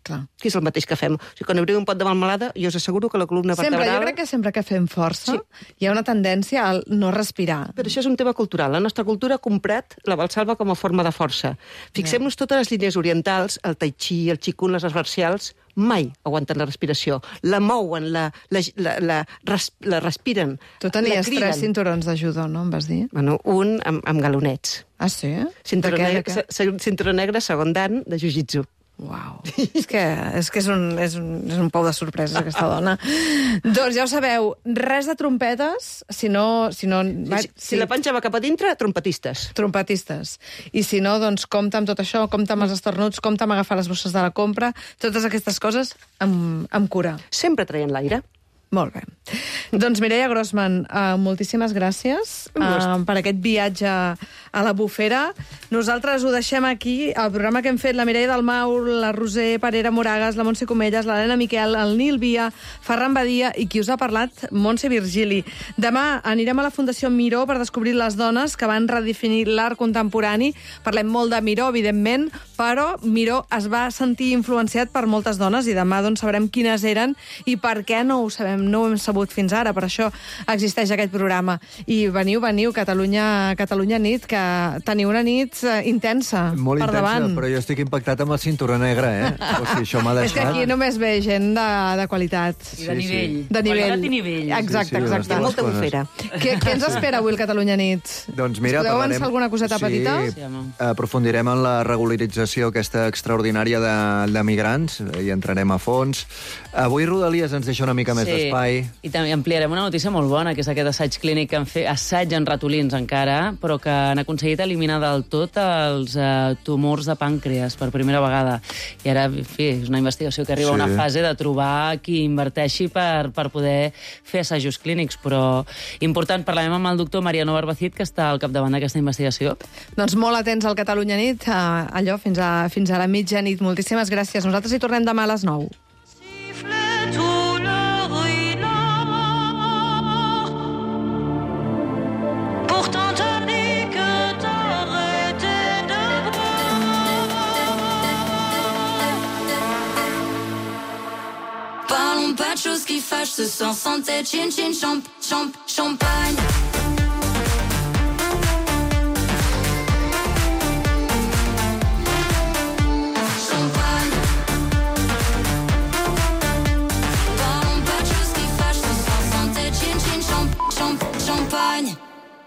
Clar. Que és el mateix que fem. O sigui, quan obrim un pot de melmelada, jo us asseguro que la columna vertebral... Sempre, jo crec que sempre que fem força sí. hi ha una tendència al no respirar. Però això és un tema cultural. La nostra cultura ha comprat la valsalva com a forma de força. Fixem-nos totes les línies orientals, el tai chi, el qigong, les arts marcials, mai aguanten la respiració. La mouen, la, la, la, la, res, la respiren. Tu tenies tres cinturons de judo, no? Em vas dir? Bueno, un amb, amb galonets. Ah, sí? Cinturó negre, cinturó negre, segon dan, de jiu-jitsu. Uau, és que, és, que és, un, és, un, és un pou de sorpreses, aquesta dona. Doncs ja ho sabeu, res de trompetes, si no... Si, no, va, si, si sí. la panxa va cap a dintre, trompetistes. Trompetistes. I si no, doncs compta amb tot això, compta amb els estornuts, compta amb agafar les bosses de la compra, totes aquestes coses amb, amb cura. Sempre traient l'aire. Molt bé. Doncs Mireia Grossman, uh, moltíssimes gràcies uh, per aquest viatge a la bufera. Nosaltres ho deixem aquí, el programa que hem fet, la Mireia Dalmau, la Roser Parera Moragas, la Montse Comelles, l'Helena Miquel, el Nil Via, Ferran Badia i qui us ha parlat, Montse Virgili. Demà anirem a la Fundació Miró per descobrir les dones que van redefinir l'art contemporani. Parlem molt de Miró, evidentment, però Miró es va sentir influenciat per moltes dones i demà doncs, sabrem quines eren i per què no ho sabem, no ho hem sabut fins ara, per això existeix aquest programa. I veniu, veniu, Catalunya, Catalunya nit, que teniu una nit uh, intensa Molt per intensa, davant. Però jo estic impactat amb el cinturó negre, eh? O sigui, això m'ha deixat... És que aquí només ve gent de, de qualitat. I de nivell. Sí. De nivell. Qualitat i nivell. Exacte, Sí, sí, exacte. Hi ha molta bufera. Què, què ens espera avui el Catalunya nit? Doncs mira, us podeu parlarem... avançar alguna coseta sí, petita? Sí, aprofundirem en la regularització aquesta extraordinària de, de migrants i entrarem a fons. Avui Rodalies ens deixa una mica més Sí. d'espai. I també ampliarem una notícia molt bona, que és aquest assaig clínic que han fet, assaig en ratolins encara, però que han aconseguit eliminar del tot els uh, tumors de pàncreas per primera vegada. I ara, en fi, és una investigació que arriba Sí. a una fase de trobar qui inverteixi per, per poder fer assajos clínics, però important, parlarem amb el doctor Mariano Barbacid, que està al capdavant d'aquesta investigació. Doncs molt atents al Catalunya nit, uh, allò, fins a, fins a la mitjanit. Moltíssimes gràcies. Nosaltres hi tornem demà a les nou. Parlons pas de choses qui fâchent, ce soir sans tête, chin chin champ, champ, champagne.